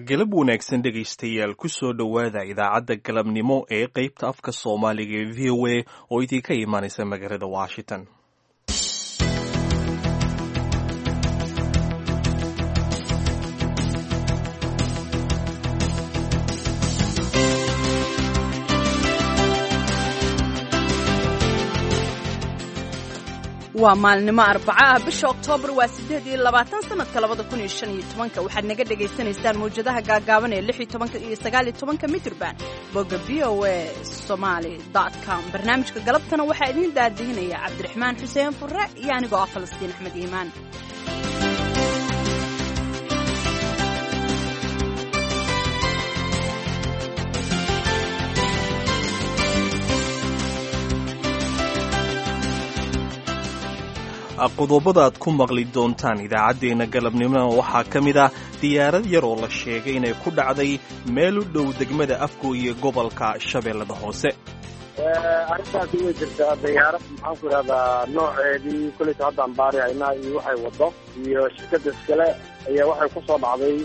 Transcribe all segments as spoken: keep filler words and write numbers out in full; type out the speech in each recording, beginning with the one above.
Galab wanaagsan dhegaystayaal, kusoo dhowaada idaacadda galabnimo ee qeybta afka Soomaaliga ee V O A oo idinka imaanaysa magaalada Washington. Waa maalnimo arbaco ah, bisha Oktoobar waa siddeed iyo labaatan, sanadka labada kun iyo shan iyo tobanka. Waxaad naga dhagaysanaysaan mawjadaha gaagaaban ee lix iyo tobanka iyo sagaal iyo tobanka mitrban, bogga V O A Somaly dot com. Barnaamijka galabtana waxaa idiin daadihinaya Cabdiraxmaan Xuseen Furre iyo anigoo ah Falastiin Axmed Iimaan. Qodobada aad ku maqli doontaan idaacaddeenna galabnimona waxaa ka mid ah diyaarad yar oo la sheegay inay ku dhacday meel u dhow degmada Afgo iyo gobolka Shabeellada Hoose. Arrintaasi way jirtaa. Diyaarad, maxaan ku idhahdaa, nooceedii koleyta haddaan baarihaynaa iyo waxay wado iyo shirkada iskale ayaa waxay ku soo dhacday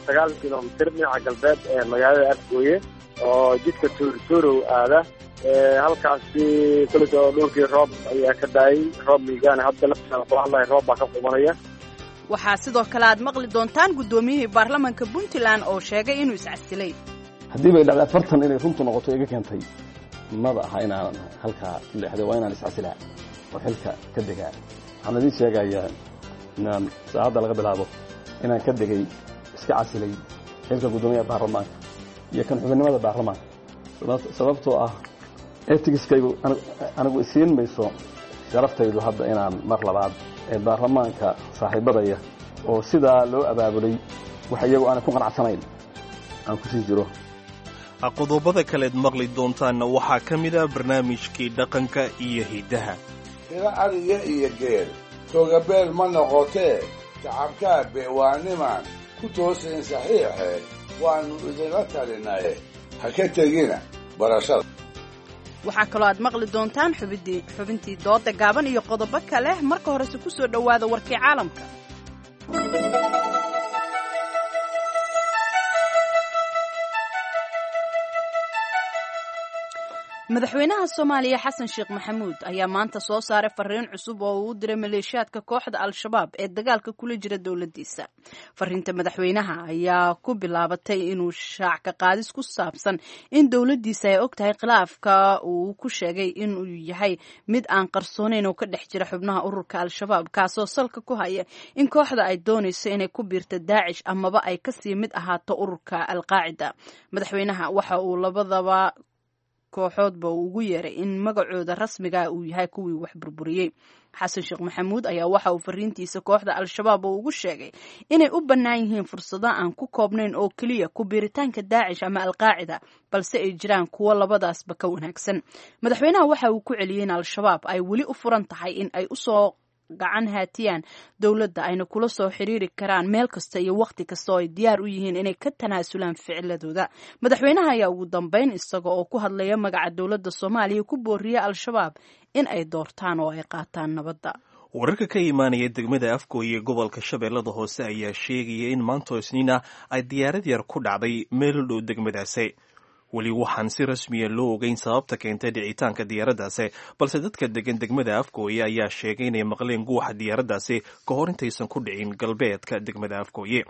sagaal kilomitir dhinaca galbeed ee magaalada Afgooye oo jidka Tuurtuurow aada. Halkaasi koleyta dhulkii roob ayaa ka daayay, roob miigaana hadda laftiisa kula hadlaya, roob baa ka qubanaya. Waxaa sidoo kale aad maqli doontaan guddoomiyihii baarlamaanka Puntland oo sheegay inuu iscasilay. Haddii bay dhacday afartan inay runtu noqoto iga keentay, maba aha inaanan halkaa leexday, waa inaan iscasilaa oo xilka ka degaa. Waxaan idiin sheegayaa inaan saacadda laga bilaabo inaan ka degay, iska casilay xilka guddoomiyaha baarlamaanka iyo kan xubinnimada baarlamaanka, sababtoo ah etigiskaygu anigu isiin mayso sharaftaydu hadda inaan mar labaad ee baarlamaanka saaxiibadaya oo sidaa loo abaabulay wax iyagu aanay ku qanacsanayn aan kusii jiro. Qodobada kaleed maqli doontaanna waxaa ka mid ah barnaamijkii dhaqanka iyo hiddaha. Tiro ariga iyo geel toogabeel ma noqotee, tacabkaabe waa nimaan ku toosayn saxiixee, waannu idinla talinaye ha ka tegina barashada. Waxaa kaloo aad maqli doontaan xubintii dooda gaaban iyo qodobo kale. Marka horese ku soo dhowaada warkii caalamka. Madaxweynaha Soomaaliya Xasan Sheekh Maxamuud ayaa maanta soo saaray fariin cusub oo uu u diray maleeshiyaadka kooxda Al-Shabaab ee dagaalka kula jira dowladdiisa. Fariinta madaxweynaha ayaa ku bilaabatay inuu shaac ka qaadis ku saabsan in dowladdiisa ay og tahay khilaafka uu ku sheegay inuu yahay mid aan qarsoonayn oo ka dhex jira xubnaha ururka Al-Shabaab, kaasoo salka ku haya in kooxda ay doonayso inay ku biirto Daacish amaba ay kasii mid ahaato ururka Al-Qaacida. Madaxweynaha waxa uu labadaba kooxoodba uu ugu yeeray in magacooda rasmiga uu yahay kuwii wax burburiyey. Xasan Sheekh Maxamuud ayaa waxa uu fariintiisa kooxda Al-Shabaab oo ugu sheegay inay u bannaan yihiin fursado aan ku koobnayn oo keliya ku biiritaanka Daacish ama Al-Qaacida, balse ay jiraan kuwo labadaasba ka wanaagsan. Madaxweynaha waxa uu ku celiyey in Al-Shabaab ay weli u furan tahay in ay usoo gacan haatiyaan dowladda, ayna kula soo xiriiri karaan meel kasta iyo wakhti kasta oo ay diyaar u yihiin inay ka tanaasulaan ficiladooda. Madaxweynaha ayaa ugu dambeyn isaga oo ku hadlaya magaca dowladda Soomaaliya ku booriyay Al-Shabaab in ay doortaan oo ay qaataan nabadda. Wararka ka imaanaya degmada Afgo iyo gobolka Shabeellada Hoose ayaa sheegaya in maanta Isniina ay diyaarad yar ku dhacday meel u dhow degmadaasi. Weli waxaan si rasmiya loo ogeyn sababta keentay dhicitaanka diyaaraddaasi, balse dadka degan degmada Afgooye ayaa sheegay inay maqleen guuxa diyaaraddaasi ka hor intaysan ku dhicin galbeedka degmada Afgooye.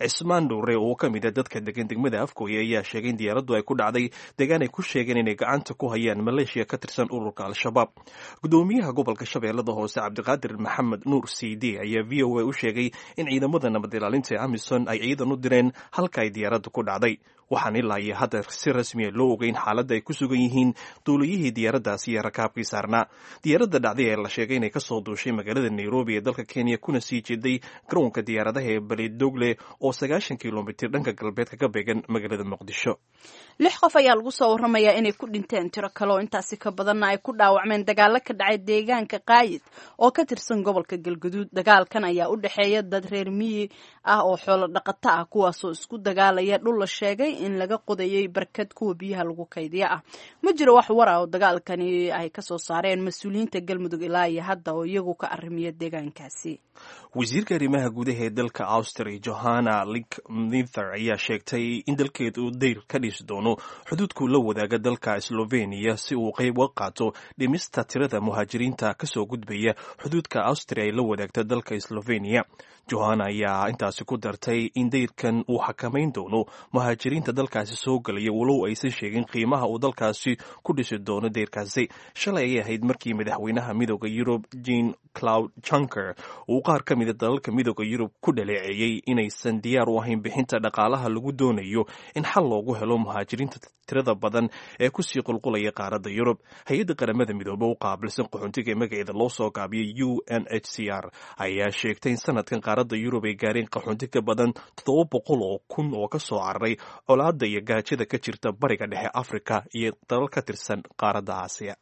Cismaan Dhuure oo ka mid a dadka degan degmada Afgooye ayaa sheegay in diyaaraddu ay ku dhacday deegaan ay ku sheegeen inay gacanta ku hayaan maleeshiya ka tirsan ururka Al-Shabaab. Gudoomiyaha gobolka Shabeellada Hoose Cabdiqaadir Maxamed Nuur C D ayaa V O A u sheegay in ciidamada nabad ilaalinta ee Amison ay ciidan u direen halka ay diyaaraddu ku dhacday. Waxaan ilaa iyo hadda si rasmiya loo ogeyn xaaladda ay ku sugan yihiin duuliyihii diyaaraddaasi iyo rakaabkii saarnaa. Diyaaradda dhacday ee la sheegay inay kasoo duushay magaalada Nairobi ee dalka Kenya kuna sii jeeday garoonka diyaaradaha ee Baledogle oo sagaashan kilomitir dhanka galbeedka ka beegan magaalada Muqdisho. Lix qof ayaa lagu soo warramayaa inay ku dhinteen, tiro kale oo intaasi ka badanna ay ku dhaawacmeen dagaalo ka dhacay deegaanka Qaayid oo ka tirsan gobolka Galguduud. Dagaalkan ayaa u dhexeeya dad reer miyi ah oo xoolo dhaqato ah, kuwaasoo isku dagaalaya dhul la sheegay in laga qodayay barkad kuwa biyaha lagu kaydiya ah. Ma jiro wax war ah oo dagaalkani ay kasoo saareen mas-uuliyiinta Galmudug ilaa iyo hadda oo iyagu ka arrimiya deegaankaasi. Wasiirka arrimaha gudaha ee dalka Austria, Johanna Linkmither, ayaa sheegtay in dalkeed uu dayr ka dhisi doono xuduudku la wadaaga dalka Slovenia si uu qayb uga qaato dhimista tirada muhaajiriinta kasoo gudbaya xuduudka Austria ay la wadaagta dalka Slovenia. Johanna ayaa intaasi ku dartay in dayrkan uu xakamayn doono muhaajiriinta dalkaasi soo gelaya, walow aysan sheegin qiimaha uu dalkaasi ku dhisi doono dayrkaasi. Shalay ayay ahayd markii madaxweynaha Midooda Yurub, Jean Claude Juncker, uu qaar ka mida dalalka Midooda Yurub ku dhaleeceeyey inaysan diyaar u ahayn bixinta dhaqaalaha lagu doonayo in xal loogu helo muhaajiriinta tirada badan ee kusii qulqulaya qaaradda Yurub. Hay-adda Qaramada Midoobe u qaabilsan qaxoontiga ee magaceeda loo soo gaabiyay U N H C R ayaa sheegtay in sanadkan qaaradda Yurub ay gaareen qaxoonti ka badan toddoba boqol oo kun oo ka soo cararay colaadda iyo gaajada ka jirta Bariga Dhexe, Afrika iyo dalal ka tirsan qaaradda Aasiya.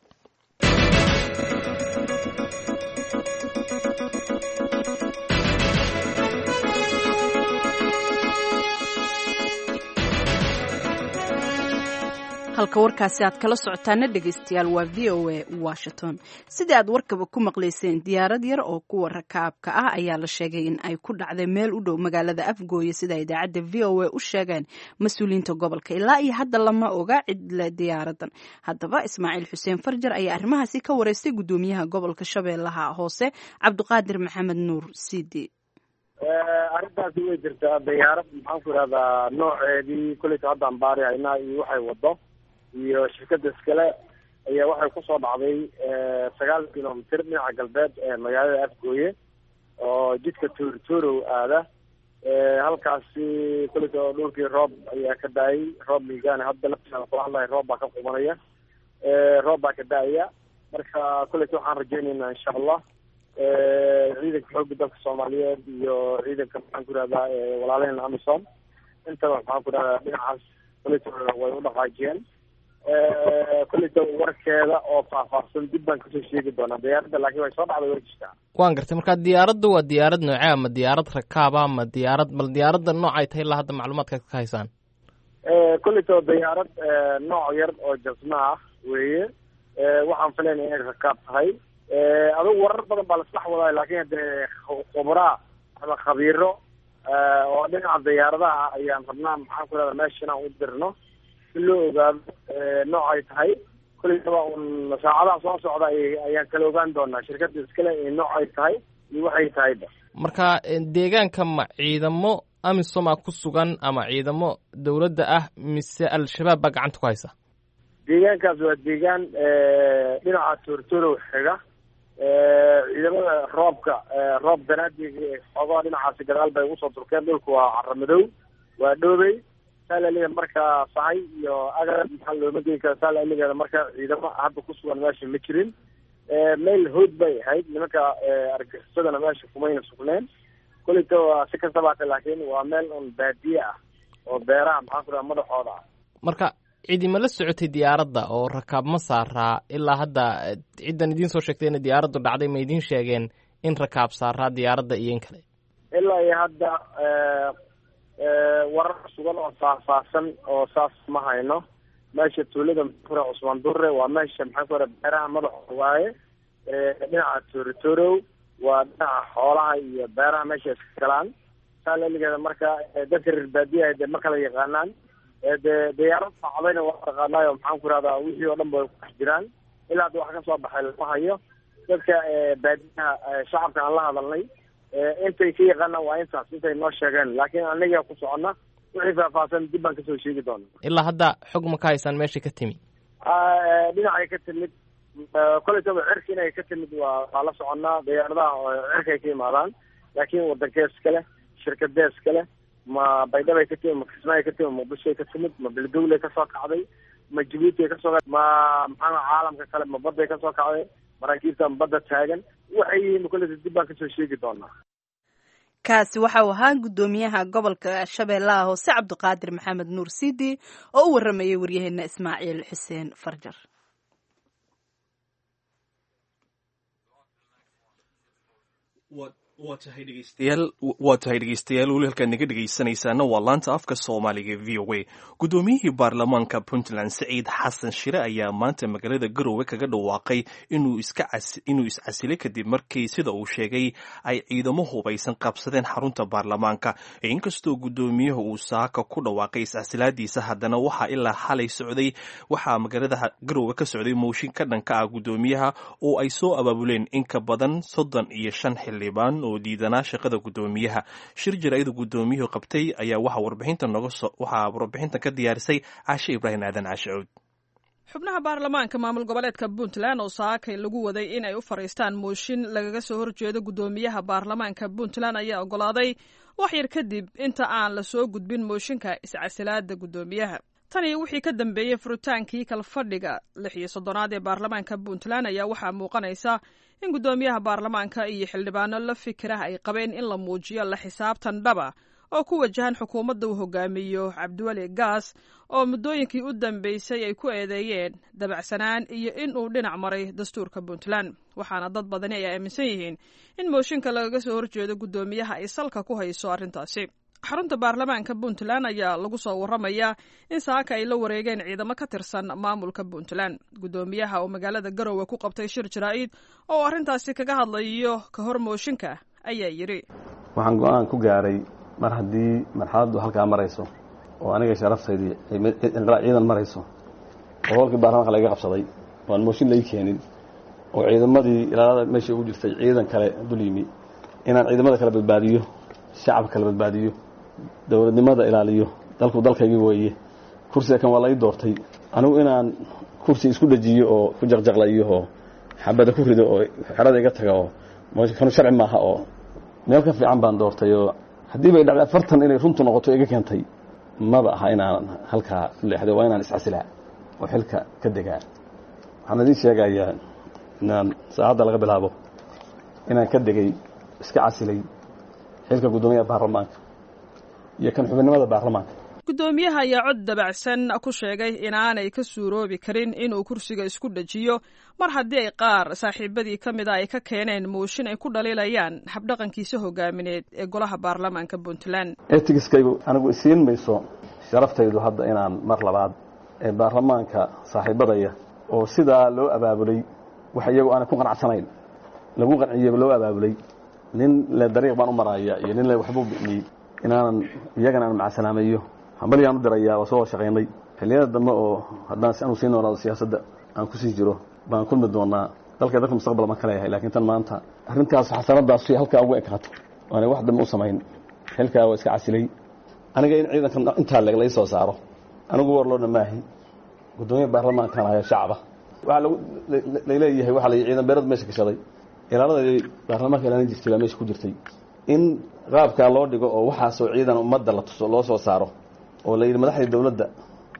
Halka warkaasi aad kala socotaana, dhegeystayaal, waa V O A Washington. Sidii aad warkaba ku maqlayseen, diyaarad yar oo kuwa rakaabka ah ayaa la sheegay in ay ku dhacday meel u dhow magaalada Afgooye, sida idaacadda V O A u sheegeen mas-uuliyiinta gobolka. Ilaa iyo hadda lama oga cidle diyaaradan. Haddaba Ismaaciil Xuseen Farjar ayaa arrimahaasi ka wareystay guddoomiyaha gobolka Shabeellaha Hoose, Cabdiqaadir Maxamed Nuur Sidi. Arrintaasi way jirtaa. Diyaarad, maxaan ku ihahdaa, nooceedii kuleyta haddaan baari haynaa iyo waxay wado iyo shirkada iskale, ayaa waxay kusoo dhacday sagaal kilomitr dhinaca galbeed ee magaalada Afgooye oo jidka Tuurtuurow aada. Halkaasi kuleyta dhulkii roob ayaa ka da-ay, roob miigaana hadda laftiisa kula hadlahay, roob baa ka qubanaya, roob baa ka da-aya. Marka kuleyta waxaan rajeynaynaa, insha Allah, ciidanka xoogga dalka Soomaaliyeed iyo ciidanka, maxaan ku ihahdaa, walaalaheen AMISOM intaba, maxaan ku ihahdaa, dhinacaas kuleyta way u dhaqaajiyeen. Kuleyta warkeeda oo faahfaahsan dib baan kasoo sheegi doonaa diyaaradda, laakiin way soo dhacday, way jirtaa. Waan gartay. Marka diyaaradda waa diyaarad noocee? Ma diyaarad rakaaba ma diyaarad bal diyaaradda noocay tahay ilaa hadda macluumaadkaad ka haysaan? Kuleyta diyaarad nooc yar oo jasma ah weeye. Waxaan filaynaya inay rakaab tahay. Adugu warar badan baa laisdhex wadaa, laakiin hadee khubraa ama khabiiro oo dhinaca diyaaradaha ayaan rabnaa, maxaan ku ihahdaa, meesha inaan u dirno si loo ogaado noocay tahay. Kuleytaba un saacadaha soo socda ayaan kala ogaan doonaa shirkadda iskale iyo noocay tahay iyo waxay tahayba. Marka deegaanka ma ciidamo AMISOMA ku sugan ama ciidamo dawladda ah mise Al-Shabaab baa gacanta ku haysa? Deegaankaas waa deegaan dhinaca Tuurtuurow xiga. Ciidamada roobka, roob danaadii xoogaha dhinacaasi gadaal bay ugu soo durkeen. Dhulku waa cara madow, waa dhoobey saalaliga. Marka sahay iyo agar maxaa looma geyn kara saalaligeeda. Marka ciidamo hadda ku sugan meesha ma jirin. Meel hood bay ahayd, nimanka argagixisadana meesha kumayna sugneen kuleyta. Waa si kastaba hate, laakiin waa meel un baadiye ah oo beeraha, maxaan ku dhaha, madaxooda ah. Marka cidi ma la socotay diyaaradda oo rakaab ma saaraa ilaa hadda? Ciddan idiin soo sheegtay inay diyaaraddu dhacday ma idiin sheegeen in rakaab saaraa diyaaradda iyo in kale? Ilaa iyo hadda warar sugan oo faahfaahsan oo saas ma hayno. Meesha tuulada, maxaan ku raha, Cusmaan Dure waa meesha, maxaan ku raha, beeraha madaxooda waaye, dhinaca Tuuritorow waa dhinaca xoolaha iyo beeraha meesha iska galaan saalaligeeda. Marka dadka reer baadiyaha dee ma kala yaqaanaan dee diyaarad dhacdayna waa taqaanaayo, maxaan ku rahdaa, wixii oo dhan ba way ku dhex jiraan. Ilaa hadda wax ka soo baxay lama hayo. Dadka baadiyaha, shacabka aan la hadalnay, intay ka yaqaanaan waa intaas intay noo sheegeen, laakiin anaga ku soconna wixii faahfaahsan dib baan kasoo sheegi doona. Ilaa hadda xog ma ka haysaan meeshay ka timi? Dhinacay ka timid koletaba cirka inay ka timid waa waa la soconnaa. Diyaaradaha oo cirkay ka imaadaan, laakiin wadankees kale, shirkadees kale, ma Baydhabay ka timid, ma Kismaayo ka timid, Muqdishoay ka timid, ma Beledowley kasoo kacday, ma Jabuuti ay kasoo, ma maxaa caalamka kale, ma badday kasoo kacday, maraakiibtan badda taagan waxay yihiin, koleta dib baan kasoo sheegi doonaa. Kaasi waxa uu ahaa guddoomiyaha gobolka Shabeellaha Hoose, Cabdiqaadir Maxamed Nuur Sidi, oo u waramayay waryaheena Ismaaciil Xuseen Farjar. Waa tahay dhegeystayaal, weli halkaad naga dhegeysanaysaana waa laanta afka Soomaaliga V O A. Guddoomiyihii baarlamaanka Puntland Saciid Xasan Shire ayaa maanta magaalada Garowe kaga dhawaaqay inuu iscasilay kadib markii, sida uu sheegay, ay ciidamo hubaysan qabsadeen xarunta baarlamaanka. Inkastoo guddoomiyuhu uu saaka ku dhawaaqay iscasilaadiisa, haddana waxaa ilaa xalay socday waxaa magaalada Garowe ka socday mooshin ka dhanka ah guddoomiyaha oo ay soo abaabuleen in ka badan soddon iyo shan xildhibaan oo diidanaa shaqada guddoomiyaha. Shir jaraa'ida guddoomiyuhu qabtay ayaa waxaa warbixinta noga soo waxaa warbixintan ka diyaarisay Caashe Ibraahim Aadan Caashe Cuud. Xubnaha baarlamaanka maamul goboleedka Puntland oo saakay lagu waday in ay u fadhiistaan mooshin lagaga soo horjeedo guddoomiyaha baarlamaanka Puntland ayaa oggolaaday wax yar kadib inta aan la soo gudbin mooshinka iscasilaada guddoomiyaha. Tani wixii ka dambeeyey furitaankii kalfadhiga lix iyo soddonaad ee baarlamaanka Puntland ayaa waxaa muuqanaysa in guddoomiyaha baarlamaanka iyo xildhibaano la fikirah ay qabeen in la muujiyo la xisaabtan dhaba oo ku wajahan xukuumadda uu hogaamiyo Cabdiweli Gaas, oo muddooyinkii u dambeysay ay ku eedeeyeen dabacsanaan iyo in uu dhinac maray dastuurka Puntland. Waxaana dad badani ay aaminsan yihiin in mooshinka lagaga soo horjeedo guddoomiyaha ay salka ku hayso arrintaasi. Xarunta baarlamaanka Puntland ayaa lagu soo waramayaa in saaka ay la wareegeen ciidamo ka tirsan maamulka Puntland. Guddoomiyaha oo magaalada Garowe ku qabtay shir jaraa'id oo arrintaasi kaga hadlayo ka hor mooshinka ayaa yidhi: Waxaan go-aan ku gaaray, mar haddii marxaladdu halkaa marayso oo aniga sharaftaydi ciidan marayso oo holkii baarlamaanka laga qabsaday oo aan mooshin lai keenin oo ciidamadii ilaalada meesha ugu jirtay ciidan kale dul yimi, inaan ciidamada kala badbaadiyo, shacabka kala badbaadiyo, dowladnimada ilaaliyo. Dalku dalkaygii weeye, kursiga kan waa lai doortay. Anigu inaan kursi isku dhejiyo oo ku jaqjaqlayo oo xabada ku rido oo xerada iga taga oo kanu sharci maaha oo meel ka fiican baan doortay. Oo haddii bay dhacday afartan inay runtu noqoto iga keentay, maba aha inaanan halkaa leexday, waa inaan iscasilaa oo xilka ka degaa. Waxaan idiin sheegayaa inaan saacadda laga bilaabo inaan ka degay, iska casilay xilka guddoomiyaha baarlamaanka iyo kan xubinimada baarlamaanka. Guddoomiyaha ayaa cod dabacsan ku sheegay inaanay ka suuroobi karin inuu kursiga isku dhejiyo mar haddii ay qaar saaxiibadii ka mida ay ka keeneen mooshin ay ku dhaliilayaan habdhaqankiisa hogaamineed ee golaha baarlamaanka Puntland. Etigiskaygu anigu isiin mayso sharaftaydu hadda inaan mar labaad ee baarlamaanka saaxiibadaya oo sidaa loo abaabulay, wax iyagu aanay ku qanacsanayn lagu qanciyey loo abaabulay, nin le dariiq baan u maraaya iyo nin le waxbuu bi'iyey, inaanan iyagana aan macasalaameeyo. Hambalyaan u dirayaa, waa soo shaqaynay. Xilliyada dambe oo haddaan si anu sii noolaado siyaasadda aan kusii jiro baan kulmi doonaa. Dalka dadka mustaqbal baan ka leeyahay, laakiin tan maanta arrintaas xasanadaas si halkaa ugu ekaato waanay wax dambe u samayn. Xilkaa waa iska casilay. Aniga in ciidankan intaa leeg lai soo saaro, anigu war loodha maahi, guddoomiya baarlamaankan ayaa shacaba. Waxaa lagu laleeyahay waxaa la ciidan beerad meesha gashaday, ilaalada baarlamaanka ilaalin jirtay baa meesha ku jirtay. In qaabkaa loo dhigo oo waxaasoo ciidan ummadda la tuso loo soo saaro oo la yidhi madaxdii dowladda,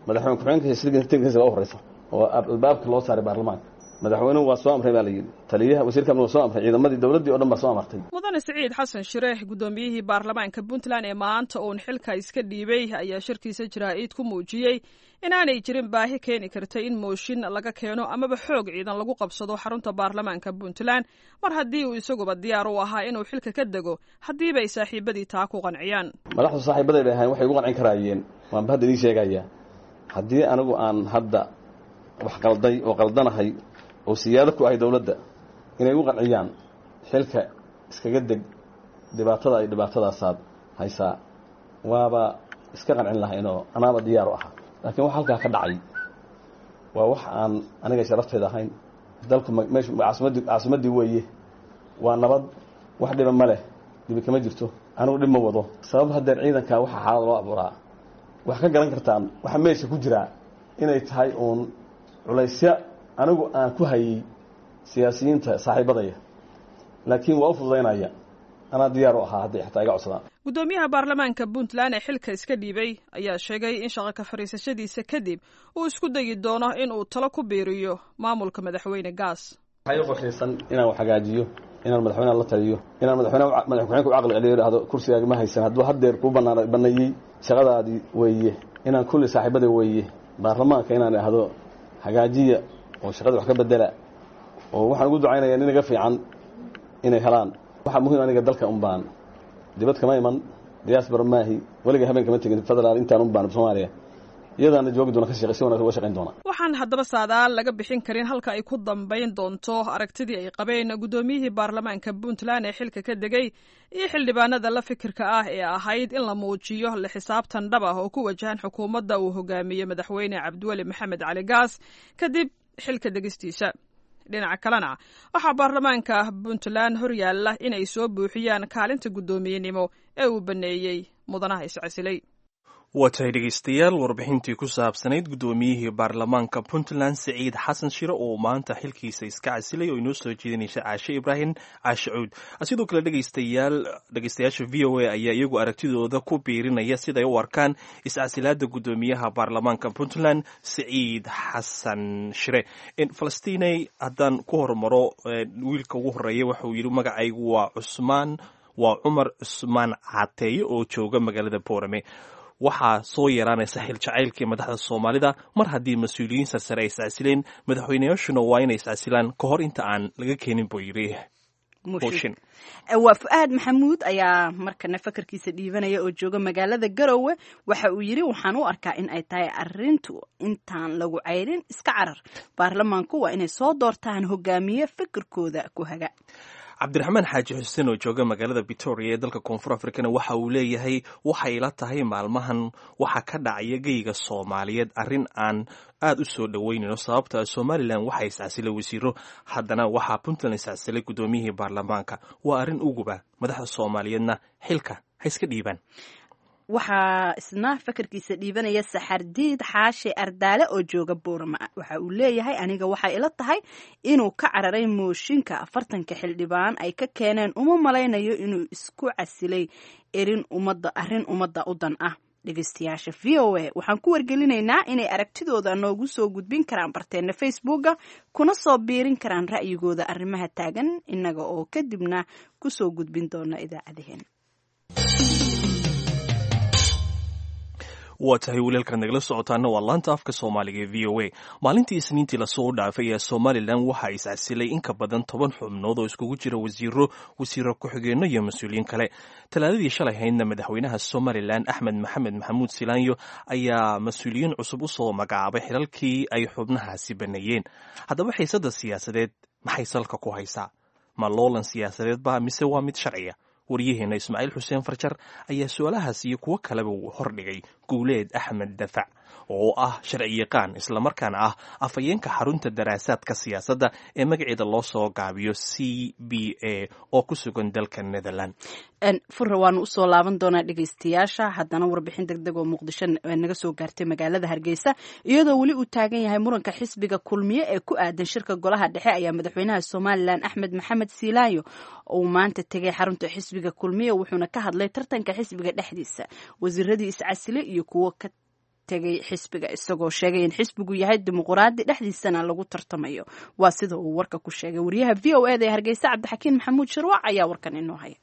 madaxweyne ku-xigeenka u horeysa oo albaabka loo saaray baarlamaanka, madaxweynuhu waa soo amray baa la yidhi, taliyaha wasiirka amniga waa soo amray, ciidamadii dowladdii o dhan baa soo amartay. Mudane Siciid Xasan Shire, guddoomiyihii baarlamaanka Puntland ee maanta uun xilka iska dhiibay, ayaa shirkiisa jaraa'id ku muujiyey inaanay jirin baahi keeni karta in mooshin laga keeno amaba xoog ciidan lagu qabsado xarunta baarlamaanka Puntland, mar haddii uu isaguba diyaar u ahaa inuu xilka ka dego haddiiba ay saaxiibadii taa ku qanciyaan. Madaxdu saaxiibaday bay ahayn, waxay ugu qancin karaayeen waanba hadda idiin sheegayaa. Haddii anigu aan hadda wax qalday oo qaldanahay oo siyaado ku ahay dowladda, inay ugu qanciyaan xilka iskaga deg, dhibaatada ay dhibaatadaasaad haysaa, waaba iska qancin lahaynoo anaaba diyaar u ahaa. Laakiin wax halkaa ka dhacay waa wax aan aniga sharaftayda ahayn. Dalku meeshu caasimadii caasimaddii weeye, waa nabad, wax dhiba ma leh, dhibi kama jirto, anigu dhib ma wado. Sabab haddeer ciidankaa waxaa xaalad loo abuuraa wax ka garan kartaan waxa meesha ku jiraa inay tahay uun culaysya anigu aan ku hayay siyaasiyiinta saaxiibadaya, laakiin waa u fududaynaya, anaa diyaar u ahaa hadday xataa iga codsadaan. Guddoomiyaha baarlamaanka Puntland ee xilka iska dhiibay ayaa sheegay in shaqo ka fadhiisashadiisa kadib uu isku dayi doono in uu talo ku biiriyo maamulka madaxweyne Gaas. Waxaa ii qorshaysan inaan wax hagaajiyo, inaan madaxweynaha la taliyo, inaan madaxweynaha madax ku-xigeenka u caqli celiyo, idhaahdo kursigaaga ma haysan hadduu haddeer kuu banaan baneeyey, shaqadaadii weeye, inaan kulli saaxiibada weeye baarlamaanka inaan idhaahdo hagaajiya oo shaqada wax ka bedela, oo waxaan ugu ducaynayaa nin iga fiican inay helaan. Waxaa muhiim aniga dalka un baan dibad kama iman, diaspora maahi, weliga habeen kama tegin federaal intaan un baan Soomaaliya iyadaana joogi doona, ka shaqey si wanaagsan uga shaqayn doona. Waxaan haddaba saadaal laga bixin karin halka ay ku dambayn doonto aragtidii ay qabeen guddoomiyihii baarlamaanka Puntland ee xilka ka degay iyo xildhibaanada la fikirka ah ee ahayd in la muujiyo la xisaabtan dhab ah oo ku wajahan xukuumadda uu hogaamiyey madaxweyne Cabdiweli Maxamed Cali Gaas kadib xilka degistiisa. Dhinaca kalena waxaa baarlamaanka Puntland horyaalla inay soo buuxiyaan kaalinta guddoomiyenimo ee uu baneeyey mudanaha iscasilay. Waa tahay dhegeystayaal, warbixintii ku saabsanayd guddoomiyihii baarlamaanka Puntland Siciid Xasan Shire oo maanta xilkiisa iska casilay oo inoo soo jeedinaysa Caashe Ibraahim Caashe Cuud. Sidoo kale dhegeystayaal, dhegeystayaasha V O A ayaa iyagu aragtidooda ku biirinaya siday u arkaan iscasilaada guddoomiyaha baarlamaanka Puntland Siciid Xasan Shire. Falastiney, haddaan ku hormaro wiilka ugu horeeya, waxauu yidhi magacaygu waa Cusmaan, waa Cumar Cusmaan Cateeye oo jooga magaalada Boorame. Waxaa soo yeeraanaysa xil jacaylkii madaxda Soomaalida mar haddii mas-uuliyiin sarsare ay iscasileen, madaxweynayaashuna waa inay iscasilaan ka hor inta aan laga keenin, buu yidhi. Mooshin. Waa Fu-aad Maxamuud ayaa markana fakarkiisa dhiibanaya oo jooga magaalada Garowe. Waxa uu yidhi waxaan u arkaa in ay tahay arintu intaan lagu ceyrin iska carar. Baarlamaanku waa inay soo doortaan hogaamiye fikirkooda ku haga. Cabdiraxmaan Xaaji Xuseen oo jooga magaalada Victoria ee dalka Koonfur Afrikana waxa uu leeyahay waxay ila tahay maalmahan waxa ka dhacaya geyga Soomaaliyeed arrin aan aad u soo dhoweynayno, sababta Somalilan waxaa iscasilay wasiiro, haddana waxaa Puntland iscasilay guddoomiyihii baarlamaanka. Waa arrin uguba, madaxda Soomaaliyeedna xilka ha iska dhiibaan. Waxaa isna fakarkiisa dhiibanaya Saxardiid Xaashi Ardaale oo jooga Boorama. Waxa uu leeyahay aniga waxay ila tahay inuu ka cararay mooshinka afartanka xildhibaan ay ka keeneen. Uma malaynayo inuu isku casilay erin ummadda, arrin ummadda u dan ah. Dhegeystayaasha V O A waxaan ku wargelinaynaa inay aragtidooda noogu soo gudbin karaan barteena Facebooka, kuna soo biirin karaan ra'yigooda arrimaha taagan, innaga oo kadibna kusoo gudbin doona idaacadaheen. Waa tahay, walialkaad nagala socotaana waa laanta afka Soomaaliga ee V O A. Maalintii Isniintii lasoo dhaafay ee Somalilan waxaa iscasilay in ka badan toban xubnood oo iskugu jira wasiiro, wasiiro ku-xigeenno iyo mas-uuliyiin kale. Talaadadii shalay haydna madaxweynaha Somalilan Axmed Maxamed Maxamuud Silaanyo ayaa mas-uuliyiin cusub usoo magacaabay xilalkii ay xubnahaasi baneeyeen. Haddaba xiisadda siyaasadeed maxay salka ku haysaa? Ma loolan siyaasadeed ba mise waa mid sharciya? Waryaheena Ismaaciil Xuseen Farjar ayaa su-aalahaas iyo kuwo kaleba uu hordhigay Guuleed Axmed Dafac oo ah sharci yaqaan islamarkaana ah afhayeenka xarunta daraasaadka siyaasadda ee magaceeda loo soo gaabiyo C B A oo ku sugan dalka Netherland. Furra, waanu usoo laaban doonaa dhegeystayaasha. Haddana warbixin deg deg oo Muqdisho naga soo gaartay magaalada Hargeysa, iyadoo weli uu taagan yahay muranka xisbiga Kulmiye ee ku aadan shirka golaha dhexe, ayaa madaxweynaha Somalilan Axmed Maxamed Siilaayo uu maanta tegay xarunta xisbiga Kulmiye, wuxuuna ka hadlay tartanka xisbiga dhexdiisa, wasiiradii iscasile iyo kuwo ka tegay xisbiga, isagoo sheegay in xisbigu yahay dimuquraadi dhexdiisana lagu tartamayo. Waa sida uu warka ku sheegay wariyaha V O E da ee Hargeysa Cabdixakiin Maxamuud Shirwac ayaa warkan inoo haya.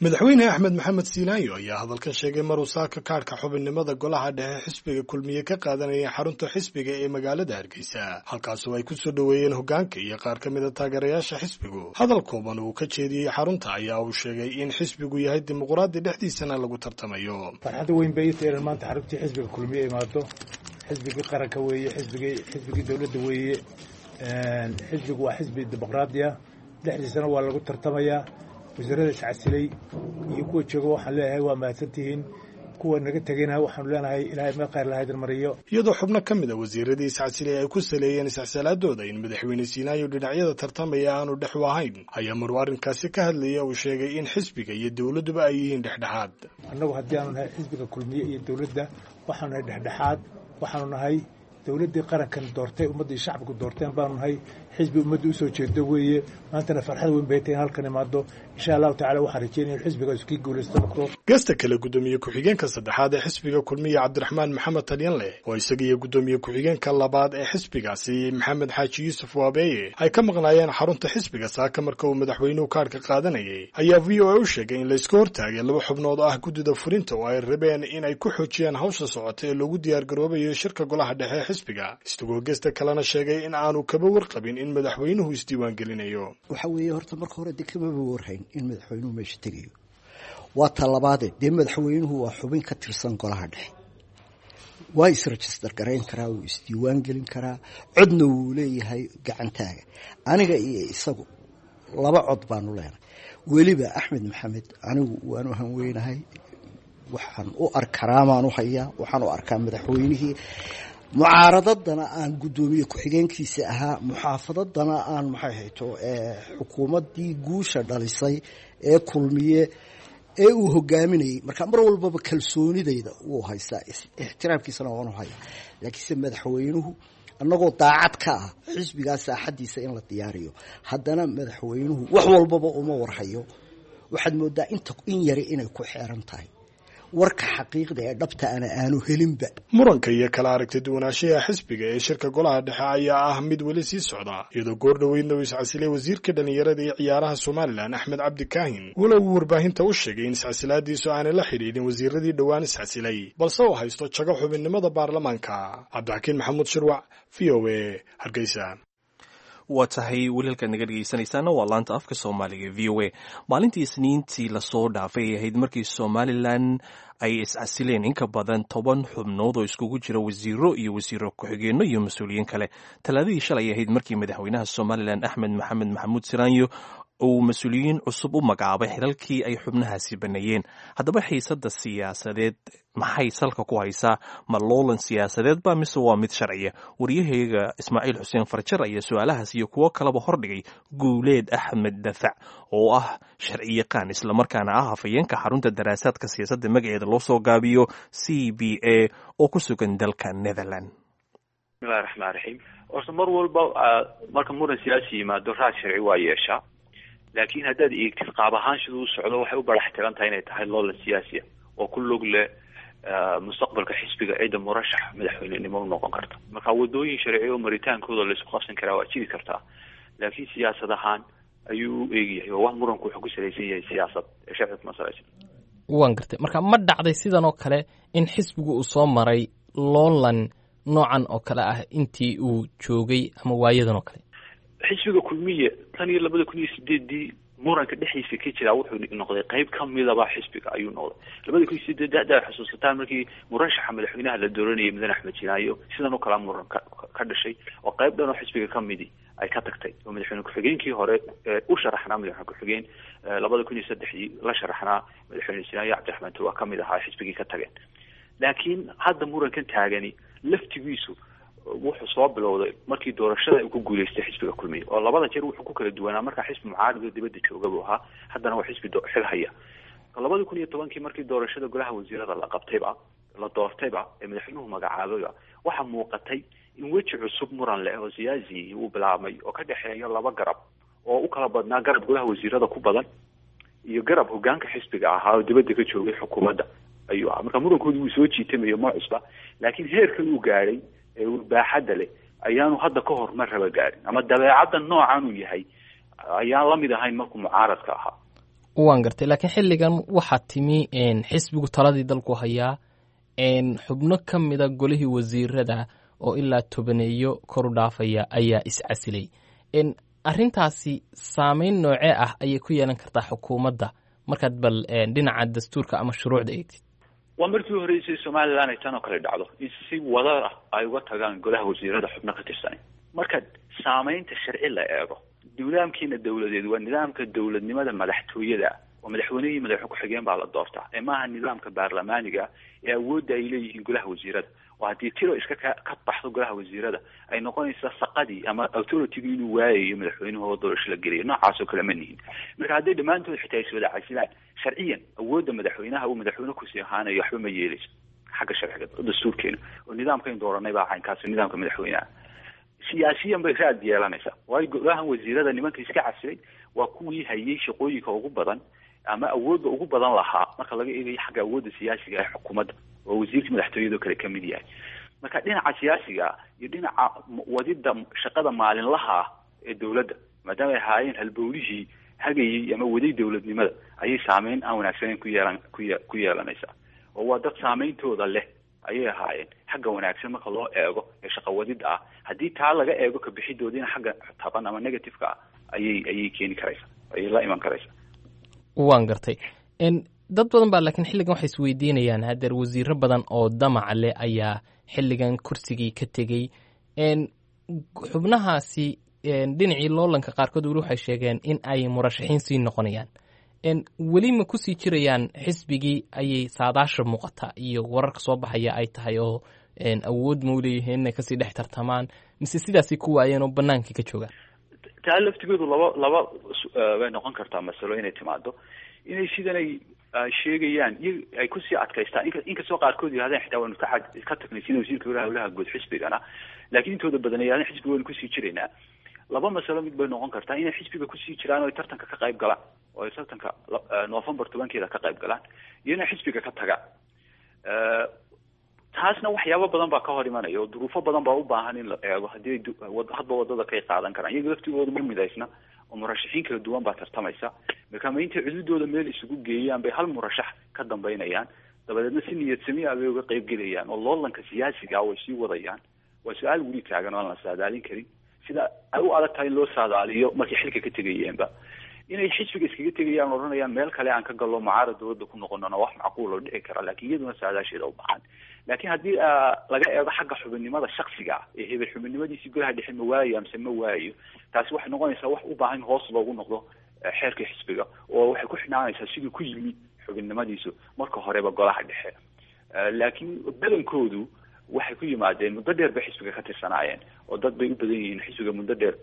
Madaxweyne Axmed Maxamed Siilaayo ayaa hadalkan sheegay maruu saaka kaadhka xubinnimada golaha dhexe xisbiga Kulmiye ka qaadanayay xarunta xisbiga ee magaalada Hargeysa, halkaasoo ay ku soo dhoweeyeen hoggaanka iyo qaar ka mid a taageerayaasha xisbigu. Hadal kooban uu ka jeediyey xarunta ayaa uu sheegay in xisbigu yahay dimuquraadi dhexdiisana lagu tartamayo. Farxadda weyn bay ii tahay inaan maanta xaruntii xisbiga Kulmiye imaado. Xisbigii qaranka weeye, xisbigii xisbigii dowladda weeye. Xisbigu waa xisbi dimuqraadi ah, dhexdiisana waa lagu tartamayaa. Wasiirada iscasilay iyo kuwa jooga waxaan leeyahay waa mahadsantihiin, kuwa naga tegayna waxaanu leenahay Ilaahay meel khayr lahaydin mariyo. Iyadoo xubno ka mid a wasiiradii iscasilay ay ku saleeyeen iscasalaadooda in madaxweyne Siinaayo dhinacyada tartamaya aanu dhex u ahayn, ayaa maruu arrinkaasi ka hadlaya uu sheegay in xisbiga iyo dowladduba ay yihiin dhexdhexaad. Annagu haddii aanu nahay xisbiga Kulmiye iyo dowladda, waxaanu nahay dhexdhexaad. Waxaanu nahay dowladdii qarankan doortay, ummaddii shacabku doorteen baanu nahay. Xisbi ummadda usoo jeedo weeye. Maantana farxad weyn bay tahay in halkan imaado. Insha Allahu tacala waxaan rajeynaya in xisbiga iskii guulaysto noqdo. Gesta kale, guddoomiye ku-xigeenka saddexaad ee xisbiga Kulmiye Cabdiraxmaan Maxamed Talyanleh oo isaga iyo guddoomiye ku-xigeenka labaad ee xisbigaasi Maxamed Xaaji Yuusuf Waabeeye ay ka maqnaayeen xarunta xisbiga saaka marka uu madaxweynuhu kaadhka qaadanayay, ayaa V O A u sheegay in layska hortaagay laba xubnood oo ah guddida fulinta oo ay rabeen in ay ku xoojiyaan hawsha socota ee loogu diyaargaroobayo shirka golaha dhexe xisbiga, isagoo gesta kalena sheegay in aanu kaba warqabin in madaxweynuhu isdiiwaangelinayo. Waxa weeye horta marka hore dee kamaba warhayn in madaxweynuhu meesha tegayo. Waa talabaade, dee madaxweynuhu waa xubin ka tirsan golaha dhexe, waa isregister garayn karaa, wuu isdiiwaan gelin karaa, codna wuu leeyahay gacantaaga. Aniga iyo isagu laba cod baanu leenahay. Weliba Axmed Maxamed anigu waanu hanweynahay, waxaan u arkaraamaan u hayaa, waxaan u arkaa madaxweynihii mucaaradadana aan guddoomiye ku-xigeenkiisa ahaa, muxaafadadana aan maxay hayto xukuumaddii guusha dhalisay ee Kulmiye ee uu hogaaminayay. Marka mar walbaba kalsoonidayda wuu haystaa, ixtiraamkiisana waanu hayaa. Laakiinse madaxweynuhu annagoo daacad ka ah xisbigaa saaxadiisa in la diyaariyo, haddana madaxweynuhu wax walbaba uma warhayo. Waxaad moodaa inta in yari inay ku xeeran tahay, warka xaqiiqda ee dhabta ana aanu helinba. Muranka iyo kala aragti duwanaanshaha xisbiga ee shirka golaha dhexe ayaa ah mid weli sii socda, iyadoo goor dhoweydna uu iscasilay wasiirka dhallinyarada iyo ciyaaraha Somalilan Axmed Cabdi Kaahin, walow uu warbaahinta u sheegay in iscasilaadiisu aanay la xidhiidhin wasiiradii dhowaan iscasilay, balse uu haysto jago xubinnimada baarlamaanka. Cabdixakiin Maxamuud Shirwac, V O A, Hargeysa. Waa tahay, weli halkaad naga dhegeysanaysaana waa laanta afka Soomaaliga V O A. Maalintii Isniintii lasoo dhaafay ay ahayd markii Somalilan ay iscasileen in ka badan toban xubnood oo iskugu jira wasiiro iyo wasiiro ku-xigeenno iyo mas-uuliyiin kale. Talaadadii shalay ahayd markii madaxweynaha Somalilan Axmed Maxamed Maxamuud Siraanyo uu mas-uuliyiin cusub u magacaabay xilalkii ay xubnahaasi baneeyeen. Haddaba xiisadda siyaasadeed maxay salka ku haysaa? Ma loolan siyaasadeed ba mise waa mid sharciya? Wariyahayga Ismaaciil Xuseen Farjar ayaa su-aalahaas iyo kuwo kaleba hordhigay Guuleed Axmed Dafac oo ah sharciyaqaan, islamarkaana ah hafayeenka xarunta daraasaadka siyaasadda magaceeda loo soo gaabiyo C B A oo ku sugan dalka Netherland. Bismillahi raxmaan raxiim. Horta mar walba marka muran siyaasi yimaado raad sharci waa yeeshaa, laakiin haddaad eegtid qaab ahaan siduu u socdo, waxay u barax tiran tahay inay tahay loolan siyaasiya oo ku lug leh mustaqbalka xisbiga, cidda murashax madaxweynenimo u noqon karta. Marka wadooyin sharci oo maritaankooda laisku qabsan karaa waa jiri kartaa, laakiin siyaasad ahaan ayuu u eegyahay oo wax muranku wuxuu ku salaysan yahay siyaasad ee sharci kuma salaysan. Waan gartay. Marka ma dhacday sidan oo kale in xisbigu uu soo maray loolan noocan oo kale ah intii uu joogay ama waayadan oo kale? Xisbiga Kulmiye tan iyo labada kun iyo sideedii muranka dhexdiisa ka jiraa wuxuu noqday qayb kamidaba xisbiga ayuu noqday. Labada kun iyo sideed hadda xusuusataan, markii murashaxa madaxweynaha la dooranayay mudane Axmed Jinaayo, sidan oo kalea muran ka ka dhashay oo qayb dhan oo xisbiga kamidi ay ka tagtay, oo madaxweyne ku-xigeenkii hore u sharaxnaa madaxweyne ku-xigeen labada kun iyo saddexdii la sharaxnaa madaxweyne Sinaayo, Cabdiraxmaan Tur, waa kamid ahaa xisbigii ka tageen. Laakiin hadda murankan taagani laftigiisu wuxuu soo bilowday markii doorashada uu ku guuleystay xisbiga Kulmiye, oo labada jeer wuxuu ku kala duwanaa markaa xisbi mucaarad oo dibadda jooga buu ahaa, haddana waa xisbi xil haya. Labada kun iyo tobankii markii doorashada golaha wasiirada la qabtayba, la doortayba ee madaxweynuhu magacaabayba, waxaa muuqatay in weji cusub muran leh oo siyaasi uu bilaabmay oo ka dhexeeya laba garab oo u kala badnaa garab golaha wasiirada ku badan iyo garab hogaanka xisbiga ahaa oo dibadda ka joogay xukuumadda ayuu ahaa. Marka murankoodi wuu soo jiitamayo, ma cusba, laakiin heerkan uu gaadhay ee baaxadda leh ayaanu hadda ka hor mar raba gaarin, ama dabeecadda noocan uu yahay ayaan lamid ahayn markuu mucaaradka ahaa. Waan gartay. Laakiin xilligan waxaa timi xisbigu taladii dalku hayaa, xubno ka mida golihii wasiirada oo ilaa tobaneeyo kor u dhaafaya ayaa iscasilay. Arrintaasi saameyn noocee ah ayay ku yeelan kartaa xukuumadda markaad bal dhinaca dastuurka ama shuruucda eegtid? Waa markii horeysay Somaliland ay tan oo kale dhacdo in si wadar ah ay uga tagaan golaha wasiirada xubno ka tirsanay. Marka saameynta sharci la eego, nidaamkiina dawladeed waa nidaamka dowladnimada madaxtooyada oo madaxweynihii madaxwe ku-xigeen baa la doortaa, ee maaha nidaamka baarlamaaniga ee awoodda ay leeyihiin golaha wasiirada, oo haddii tiro iska ka ka baxdo golaha wasiirada ay noqonaysa saqadii ama authority-gu inuu waayayo madaxweynuhu oo doorasho la geliyo. Noocaas oo kale ma nihin. Marka hadday dhammaantood xitaa is wada casilaan, sharciyan awoodda madaxweynaha uu madaxweyne kusii ahaanayo waxba ma yeeleyso xagga sharciga dastuurkeena oo nidaamkayn dooranay baa caynkaas, nidaamka madaxweynaha. Siyaasiyan bay raad yeelanaysaa, waayo golahan wasiirada nimanka iska casilay waa kuwii hayay shaqooyinka ugu badan ama awoodda ugu badan lahaa marka laga eegayo xagga awoodda siyaasiga ee xukuumadda, oo wasiirka madaxtooyada kale kamid yahay. Marka dhinaca siyaasiga iyo dhinaca wadida shaqada maalinlaha ah ee dowladda, maadaama ay ahaayeen halbowlihii hagayay ama waday dowladnimada, ayay saameyn aan wanaagsaneyn ku yeelan ku ye ku yeelanaysaa, oo waa dad saameyntooda leh. ayay ahaayeen xagga wanaagsan marka loo eego ee shaqawadida ah. Haddii taa laga eego kabixidoodiina xagga taban ama negative-ka ah ayay ayay keeni karaysa, ayay la iman karaysa. Waan gartay. Dad badan baa laakiin xilligan waxay isweydiinayaan hadeer wasiiro badan oo damac leh ayaa xilligan kursigii ka tegey. Xubnahaasi dhinacii loolanka qaarkood weli waxay sheegeen in ay murashaxiin sii noqonayaan, weli ma kusii jirayaan xisbigii ayay saadaasha muuqata iyo wararka soo baxaya ay tahay oo awood ma uleeyihiin inay kasii dhex tartamaan, mise sidaasay ku waayeen oo banaankii ka joogaan? Taa laftigoodu laba laba bay noqon kartaa masalo inay timaado, inay sidanay sheegayaan iyo ay kusii adkaystaan, inkastoo qaarkood yidhahdeen xitaa waanu ka ka tagnay sida wasiirka howlaha guud xisbigana, laakiin intooda badan ay yidhahdeen xisbiga waynu kusii jiraynaa. Laba masalo mid bay noqon kartaa, inay xisbiga kusii jiraan oo ay tartanka ka qayb galaan oo ay tartanka November tobankeeda ka qayb galaan, iyo inay xisbiga ka tagaan. Taasna waxyaabo badan baa ka hor imanaya oo duruufo badan baa u baahan in la eego haddii hadba wadada kay qaadan karaan. Iyaga laftigooda ma midaysna oo murashaxiin kala duwan baa tartamaysa, marka ma intay cududooda meel isugu geeyaan bay hal murashax ka dambeynayaan, dabadeedna si niyad sami ah bay uga qayb gelayaan oo loolanka siyaasiga ah way sii wadayaan. Waa su-aal weli taagan oo aan la saadaalin karin, sida ay u adag tahay in loo saadaaliyo markay xilka ka tegayeenba. Inay xisbiga iskaga tegayaan odhanayaan meel kale aan ka gallo mucaarad dowladda ku noqonona wax macquul oo dhici kara, laakiin iyaduna saadaasheeda u baahan. Laakiin haddii laga eego xagga xubinnimada shaksiga ah ee hebel xubinnimadiisii golaha dhexe ma waayo amse ma waayo, taasi waxay noqonaysaa wax u baahan in hoos loogu noqdo xeerka xisbiga, oo waxay ku xidhnaanaysaa siduu ku yimi xubinnimadiisu marka horeba golaha dhexe. Laakiin badankoodu waxay ku yimaadeen muddo dheer bay xisbiga ka tirsanaayeen oo dad bay u badan yihiin xisbiga muddo dheer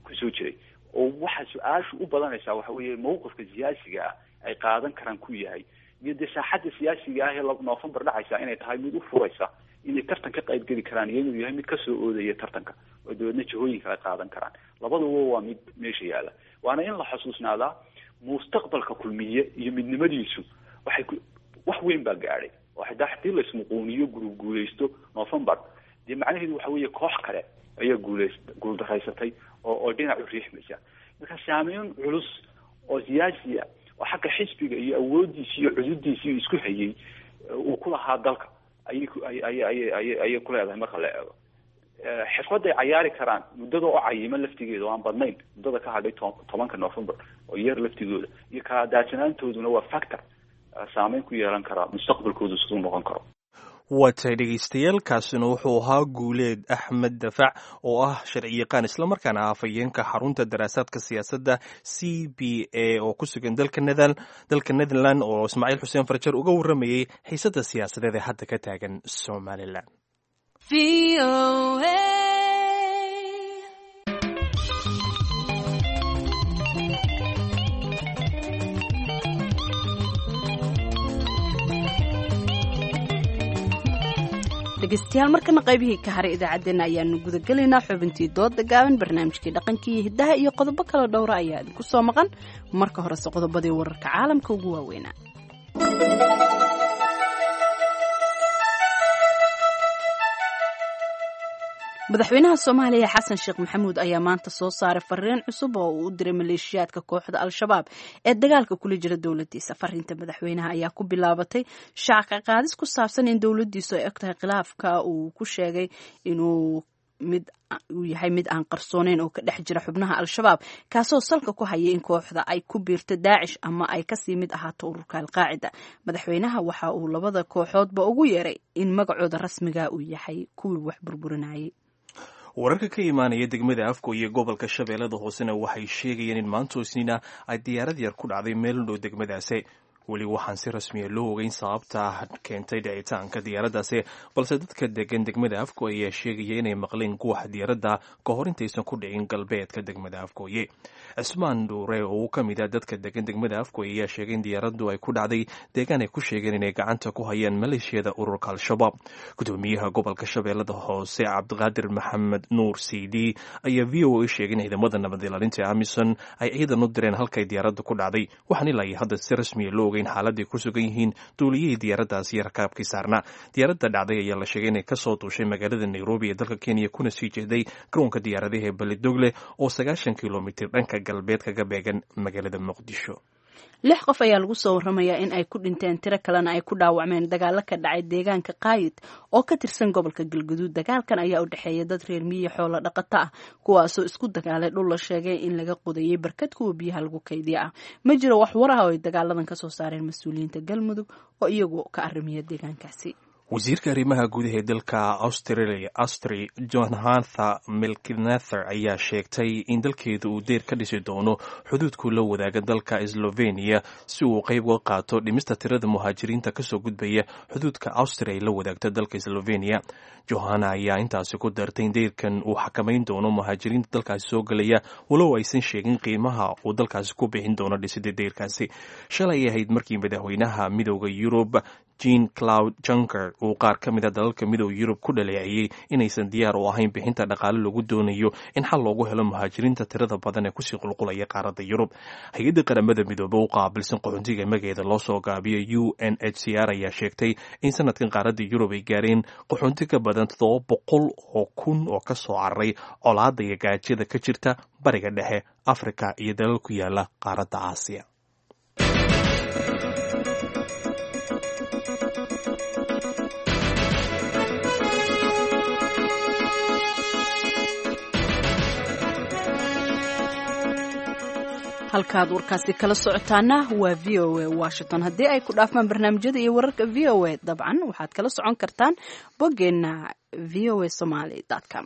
kusoo jiray. Oo waxa su-aashu u badanaysaa waxa weeye mawqifka siyaasiga ah ay qaadan karaan ku yahay, iyo dee saaxadda siyaasiga ah ee November dhacaysa inay tahay mid u furaysa inay tartan ka qayb geli karaan, iyo inuu yahay mid kasoo oodaya tartanka oo dabeedna jihooyinka ay qaadan karaan. Labaduba waa mid meesha yaalla, waana in la xusuusnaadaa mustaqbalka kulmiye iyo midnimadiisu waxay ku wax weyn baa gaadhay oo xitaa haddii la ismuquuniyo gurub guuleysto November, dee macnaheedu waxa weeye koox kale ayaa guuleys guuldaraysatay oo oo dhinac u riixmaysa. Marka saameyn culus oo siyaasiya oo xagga xisbiga iyo awooddiisi iyo cududiisi iyo isku hayay uu ku lahaa dalka ayay ayay ayay ayay ayay ku leedahay marka la eego. Xirfadday cayaari karaan muddada oo cayiman laftigeeda oo aan badnayn, muddada ka hadhay tobanka November oo yar laftigooda iyo kala daadsanaantooduna waa factor saameyn ku yeelan karaa mustaqbalkoodu siduu noqon karo. Waa tahay dhegaystayaal, kaasina wuxuu ahaa Guuleed Axmed Dafac oo ah sharciyaqaan islamarkaana ah afhayeenka xarunta daraasaadka siyaasadda C B A oo ku sugan dalka nether dalka Netherland, oo Ismaaciil Xuseen Farjar uga warramayey xiisadda siyaasadeed ee hadda ka taagan Somalilan. Dhegeystayaal, markana qaybihii ka haray idaacaddeenna ayaanu gudagelaynaa. Xubintii dooda gaaban, barnaamijkii dhaqankii iyo hiddaha iyo qodobo kale dhowra ayaa idinku soo maqan. Marka horese qodobadii wararka caalamka ugu waaweynaa. Madaxweynaha Soomaaliya Xasan Sheekh Maxamuud ayaa maanta soo saaray fariin cusub oo uu u diray maleeshiyaadka kooxda Al-Shabaab ee dagaalka kula jira dowladiisa. Fariinta madaxweynaha ayaa ku bilaabatay shaaca qaadis ku saabsan in dowladiisu ay og tahay khilaafka uu ku sheegay inuu mid uu yahay mid aan qarsooneyn oo ka dhex jira xubnaha Al-Shabaab, kaasoo salka ku haya in kooxda ay ku biirto Daacish ama ay kasii mid ahaato ururka Al-Qaacida. Madaxweynaha waxa uu labada kooxoodba ugu yeeray in magacooda rasmiga uu yahay kuwii wax burburinayay. Wararka ka imaanaya degmada Afko iyo gobolka Shabeellada Hoosena waxay sheegayeen in maanta Isniina ay diyaarad yar ku dhacday meel u dhow degmadaasi. Weli waxaan si rasmiya loo ogeyn sababta keentay dhicitaanka diyaaraddaasi, balse dadka degan degmada Afko ayaa sheegaya inay maqleen guuxa diyaaradda ka hor intaysan ku dhicin galbeedka degmada Afkooye. Cismaan Dhuure oo ka mid ah dadka degan degmada Afkooye ayaa sheegay in diyaaraddu ay ku dhacday deegaan ay ku sheegeen inay gacanta ku hayaan maleeshiyada ururka Al-Shabaab. Gudoomiyaha gobolka Shabeellada Hoose Cabdiqaadir Maxamed Nuur C D ayaa V O A sheegay in ciidamada nabad ilaalinta ee AMISOM ay ciidan u direen halkay diyaaraddu ku dhacday, waxaan ilaa iyo hadda si rasmiya loo ogeyn xaaladday ku sugan yihiin duuliyihii diyaaraddaasi iyo rakaabkii saarnaa. Diyaaradda dhacday ayaa la sheegay inay kasoo duushay magaalada Nairobi ee dalka Kenya kuna sii jeeday garoonka diyaaradaha ee Belidogle oo sagaashan kilomitir dhanka galbeed kaga beegan magaalada Muqdisho. Lix qof ayaa lagu soo waramayaa in ay ku dhinteen, tiro kalena ay ku dhaawacmeen dagaalo ka dhacay deegaanka Qaayid oo ka tirsan gobolka Galguduud. Dagaalkan ayaa u dhexeeya dad reer miyi xoolo dhaqato ah, kuwaasoo isku dagaalay dhul la sheegay in laga qodayay barkad kuwa biyaha lagu kaydiya ah. Ma jiro wax war ah oo ay dagaaladan kasoo saareen mas-uuliyiinta Galmudug oo iyagu ka arrimiya deegaankaasi. Wasiirka arrimaha gudaha ee dalka Australia, Astri Johanatha Melkinather, ayaa sheegtay in dalkeedu uu deyr ka dhisi doono xuduudku la wadaaga dalka Slovenia si uu qayb uga qaato dhimista tirada muhaajiriinta kasoo gudbaya xuduudka Austria ay la wadaagto dalka Slovenia. Johana ayaa intaasi ku dartay in deyrkan uu xakamayn doono muhaajiriinta dalkaasi soo gelaya, walow aysan sheegin qiimaha uu dalkaasi ku bixin doono dhisida deyrkaasi. Shalay ahayd markii madaxweynaha Midooda Yurub Jean Claude Juncker uu qaar ka mid a dalalka Midooda Yurub ku dhaleeceeyey inaysan diyaar u ahayn bixinta dhaqaale lagu doonayo in xal loogu helo muhaajiriinta tirada badan ee kusii qulqulaya qaaradda Yurub. Hay-adda Qaramada Midoobe u qaabilsan qaxoontiga, magaceeda loo soo gaabiyo U N H C R, ayaa sheegtay in sanadkan qaaradda Yurub ay gaareen qaxoonti ka badan toddoba boqol oo kun oo ka soo cararay colaadda iyo gaajada ka jirta Bariga Dhexe, Afrika iyo dalal ku yaala qaaradda Aasiya. Halkaad warkaasi kala socotaana waa V O A Washington. Haddii ay ku dhaafmaan barnaamijyada iyo wararka V O A, dabcan waxaad kala socon kartaan boggeenna V O A Somaly com.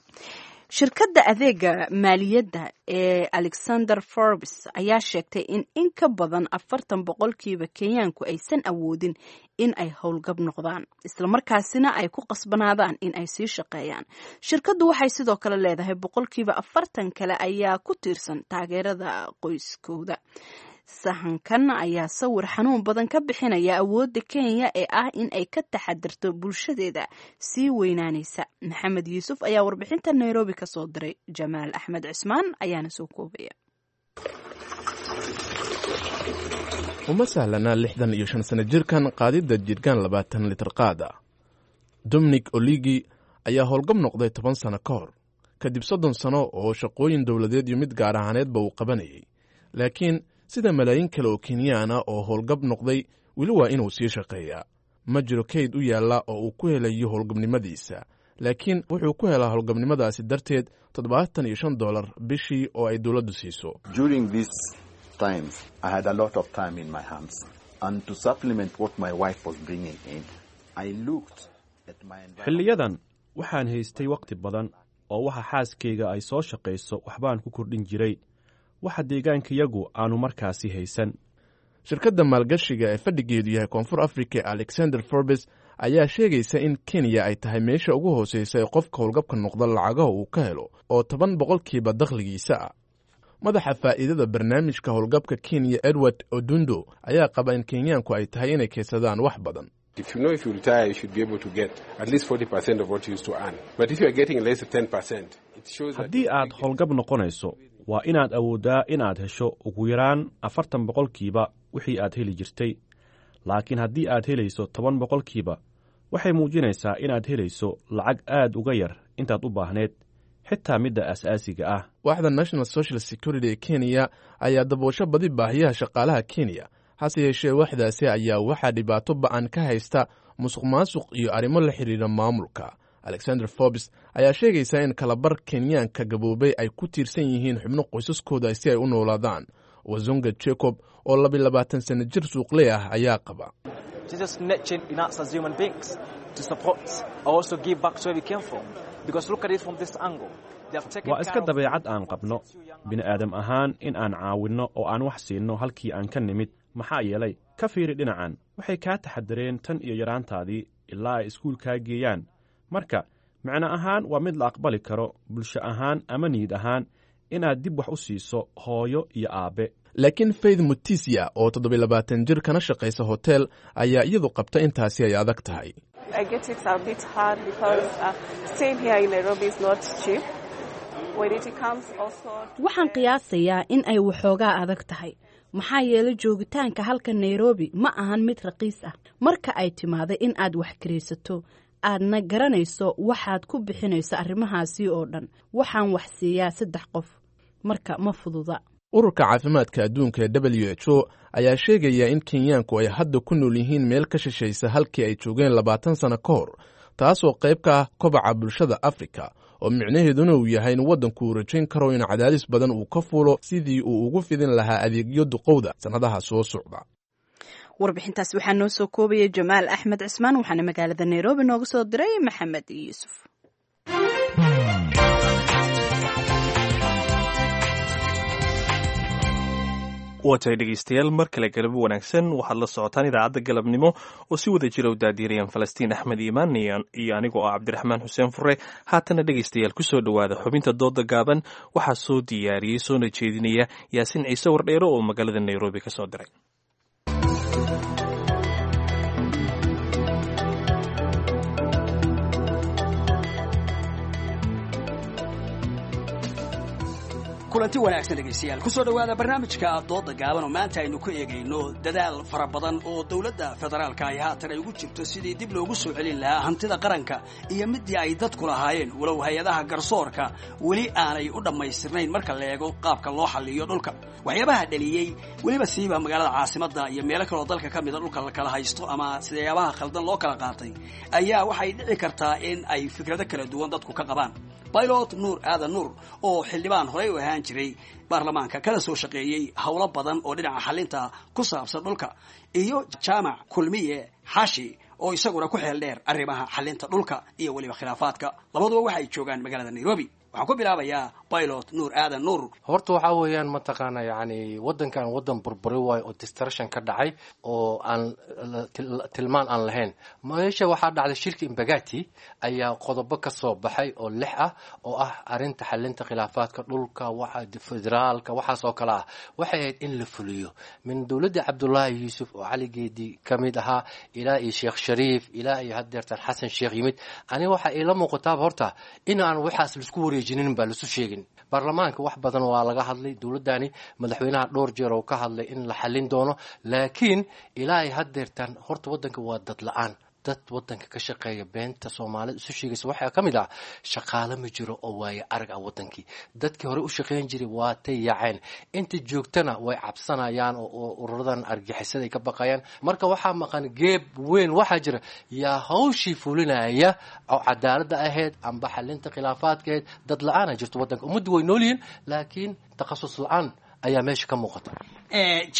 Shirkadda adeega maaliyadda ee Alexander Forbes ayaa sheegtay in in ka badan afartan boqolkiiba Kenyaanku aysan awoodin in ay howlgab noqdaan, islamarkaasina ay ku qasbanaadaan in ay sii shaqeeyaan. Shirkaddu waxay sidoo kale leedahay boqolkiiba afartan kale ayaa ku tiirsan taageerada qoyskooda. Sahankan ayaa sawir xanuun badan ka bixinaya awoodda Kenya ee ah in ay ka taxadirto bulshadeeda sii weynaanaysa. Maxamed Yuusuf ayaa warbixinta Nairobi ka soo diray, Jamaal Axmed Cismaan ayaana soo koobaya. Uma sahlana lixdan iyo shan sano jirkan qaadidda jirgaan labaatan litir qaad ah. Dominic Oligi ayaa howlgab noqday toban sano ka hor, kadib soddon sano oo shaqooyin dowladeed iyo mid gaar ahaaneedba uu qabanayay. Laakiin sida malaayiin kale oo Kenyaana oo howlgab noqday, weli waa inuu sii shaqeeyaa. Ma jiro kayd u yaalla oo uu ku helayo howlgabnimadiisa, laakiin wuxuu ku helaa howlgabnimadaasi darteed toddobaatan iyo shan dolar bishii oo ay dowladdu siiso. During these times, I had a lot of time in my hands, and to supplement what my wife was bringing in, I looked at my environment. Xilliyadan waxaan haystay wakhti badan oo waxa xaaskayga ay soo shaqayso waxbaan ku kordhin jiray waxa deegaankayagu aanu markaasi haysan. Shirkadda maalgashiga ee fadhigeedu yahay Koonfur Africa ee Alexander Forbes ayaa sheegaysa in Kenya ay tahay meesha ugu hooseysa ee qofka howlgabka noqda lacagaha uu ka helo, oo toban boqolkiiba dakhligiisa ah. Madaxa faa'iidada barnaamijka howlgabka Kenya, Edward Odundo, ayaa qaba in Kenyaanku ay tahay inay kaydsadaan wax badan. If you know if you retire, you should be able to get at least forty percent of what you used to earn. But if you are getting less than ten percent, it shows that Haddii aad howlgab noqonayso, waa inaad awooddaa inaad hesho ugu yaraan afartan boqolkiiba wixii aad heli jirtay. Laakiin haddii aad helayso toban boqolkiiba, waxay muujinaysaa inaad helayso lacag aad uga yar intaad u baahneed, xitaa midda asaasiga ah. Waaxda National Social Security ee Kenya ayaa daboosho badi baahiyaha shaqaalaha Kenya. Hase yeeshee, waaxdaasi ayaa waxaa dhibaato ba'an ka haysta musuq maasuq iyo arrimo la xidhiidha maamulka. Alexander Forbes ayaa sheegaysa in kalabar Kenyaanka gaboobay ay ku tiirsan yihiin xubno qoysaskooda si ay u noolaadaan. Wazunga Jacob oo laba iyo labaatan sano jir suuqley ah ayaa qaba. Jesus nature in us as human beings to support or also give back to where we came from. Because look at it from this angle. They have taken Waa iska dabeecad aan qabno bini'aadam ahaan in aan caawinno oo aan wax siinno halkii aan ka nimid. Maxaa yeelay, ka fiiri dhinacan, waxay kaa taxadareen tan iyo yaraantaadii ilaa ay iskuulkaa geeyaan. Marka micno ahaan waa mid la aqbali karo bulsho ahaan ama niyad ahaan inaad dib wax u siiso hooyo iyo aabbe. Laakiin Faith Mutisia oo toddobiy labaatan jir kana shaqaysa hotel ayaa iyadu qabta intaasi ay adag tahay. I get it's a bit hard because uh, staying here in Nairobi is not cheap. When it comes also to Waxaan qiyaasayaa in ay waxoogaa adag tahay, maxaa yeelay joogitaanka halka Nairobi ma ahan mid raqiis ah. Marka ay timaado in aad wax kiraysato, aadna garanayso waxaad ku bixinayso arrimahaasi oo dhan. Waxaan wax siiyaa saddex qof, marka ma fududa. Ururka caafimaadka adduunka ee W H O ayaa sheegaya in Kenyaanku ay hadda ku nool yihiin meel ka shishaysa halkii ay joogeen labaatan sano ka hor, taasoo qayb ka ah kobaca bulshada Afrika, oo micnaheeduna uu yahay in waddanku uu rajayn karo in cadaadis badan uu ka fuulo sidii uu ugu fidin lahaa adeegyo duqowda sannadaha soo socda. Warbixintaas waxaa noo soo koobayay Jamaal Axmed Cismaan, waxaana magaalada Nairobi nooga soo diray Maxamed Yuusuf. Waa tahay dhegeystayaal, mar kale galabo wanaagsan. Waxaad la socotaan idaacadda galabnimo oo si wada jira u daadiirayaan Falastiin Axmed Iimaan iyo anigoo ah Cabdiraxmaan Xuseen Fure. Haatana dhegeystayaal, kusoo dhowaada xubinta dooda gaaban. Waxaa soo diyaariyey soona jeedinaya Yaasiin Ciise Wardheero oo magaalada Nairobi ka soo diray. Kulanti wanaagsan dhegaystayaal, kusoo dhowaada barnaamijka dooda gaaban oo maanta aynu ku eegayno dadaal fara badan oo dowladda federaalka ay haatan ay ugu jirto sidii dib loogu soo celin lahaa hantida qaranka iyo midii ay dadku lahaayeen, walow hay-adaha garsoorka weli aanay u dhammaystirnayn marka la eego qaabka loo xalliyo dhulka. Waxyaabaha dhaliyey weliba siiba magaalada caasimadda iyo meelo kaloo dalka ka mida dhulka la kala haysto ama sidayaabaha khaldan loo kala qaatay ayaa waxay dhici kartaa in ay fikrado kala duwan dadku ka qabaan. Pilot Nuur Aadan Nuur oo xildhibaan horey u ahaan jiray baarlamaanka kana soo shaqeeyey howlo badan oo dhinaca xalinta ku saabsan dhulka, iyo Jaamac Kulmiye Xaashi oo isaguna ku xeel dheer arrimaha xalinta dhulka iyo weliba khilaafaadka, labaduba waxay joogaan magaalada Nairobi. Waxaan ku bilaabayaa Pilot Nuur Aadan Nuur. Horta waxaa weeyaan, mataqaana, yacni waddankan waddan burburi waayo oo destruction ka dhacay oo aan tilmaan aan lahayn. Meesha waxaa dhacday shirka Imbagati ayaa qodobo ka soo baxay oo lix ah oo ah arrinta xalinta khilaafaadka dhulka, waxa federaalka, waxaas oo kale ah. Waxay ahayd in la fuliyo min dowladda Cabdullaahi Yuusuf oo Cali Geedi ka mid ahaa ilaa iyo Sheekh Shariif ilaa iyo haddeertan Xasan Sheekh yimid. Aniga waxaa iila muuqataaba horta in aan waxaas laisku wareejinin baa lasu sheegin. Baarlamaanka wax badan waa laga hadlay, dowladdani madaxweynaha dhowr jeer oo ka hadlay in la xalin doono, laakiin ilaa ay haddeertan horta waddanka waa dad la-aan, dad waddanka ka shaqeeya. Beenta Soomaalida isu sheegaysa waxaa ka mid ah shaqaale ma jiro oo waaye arag ah. Waddankii dadkii hore u shaqeyn jiray waa tay yaaceen, inta joogtana way cabsanayaan oo ururadan argixisada ay ka baqayaan. Marka waxaa maqan geeb weyn. Waxaa jira yaa hawshii fulinaya oo cadaaladda ahayd amba xalinta khilaafaadka ahayd. Dad la-aana jirto waddanka. Ummaddu way nool yihiin, laakiin takhasus la-aan ayaa meesha ka muuqata.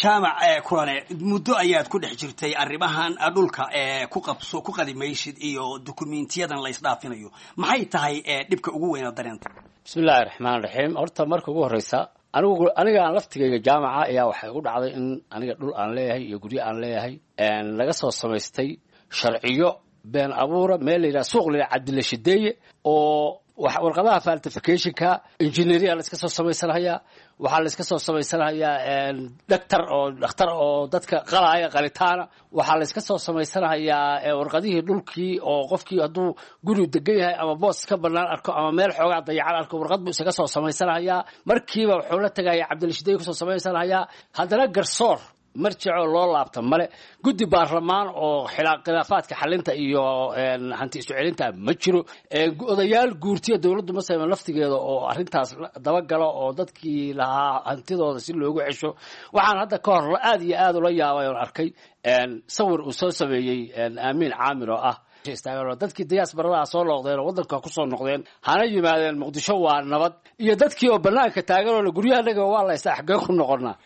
Jaamac Kulane, muddo ayaad ku dhex jirtay arrimahan dhulka ku qabso ku qadimaysid iyo dukumentiyadan la isdhaafinayo. Maxay tahay dhibka ugu weyna dareenta? Bismillahi raxmaan raxiim. Horta marka ugu horreysa, anigu aniga aan laftigayga jaamaca ayaa waxay ugu dhacday in aniga dhul aan leeyahay iyo guryo aan leeyahay laga soo samaystay sharciyo been abuura, meel la yidhaha suuq la yidhaha Cabdilla Shideeye, oo warqadaha falsificationka engineeria la iska soo samaysanhayaa, waxaa la iska soo samaysanhayaa doctor oo dhakhtar oo dadka qalaaya qalitaana, waxaa la iska soo samaysanhayaa warqadihii dhulkii, oo qofkii hadduu guri degan yahay ama boos ka banaan arko ama meel xoogaa dayacan arko, warqad buu isaga soo samaysanhayaa. Markiiba wuxuu la tagaya Cabdilshiday kusoo samaysanhayaa. Haddana garsoor marjicoo loo laabta male, guddi baarlamaan oo khilaafaadka xalinta iyo hanti isu celinta ma jiro, odayaal guurtiya dowladdu ma sayman laftigeeda oo arrintaas dabagalo oo dadkii lahaa hantidooda si loogu cesho. Waxaan hadda ka hor aad iyo aad ula yaabay oon arkay sawir uu soo sameeyey Aamiin Caamir oo ah dadkii diyaasbaradaha soo noqdeen oo waddanka kusoo noqdeen hana yimaadeen Muqdisho waa nabad, iyo dadkii oo banaanka taagan oo guryahanaga waa la ystaa, xaggee ku noqonaa?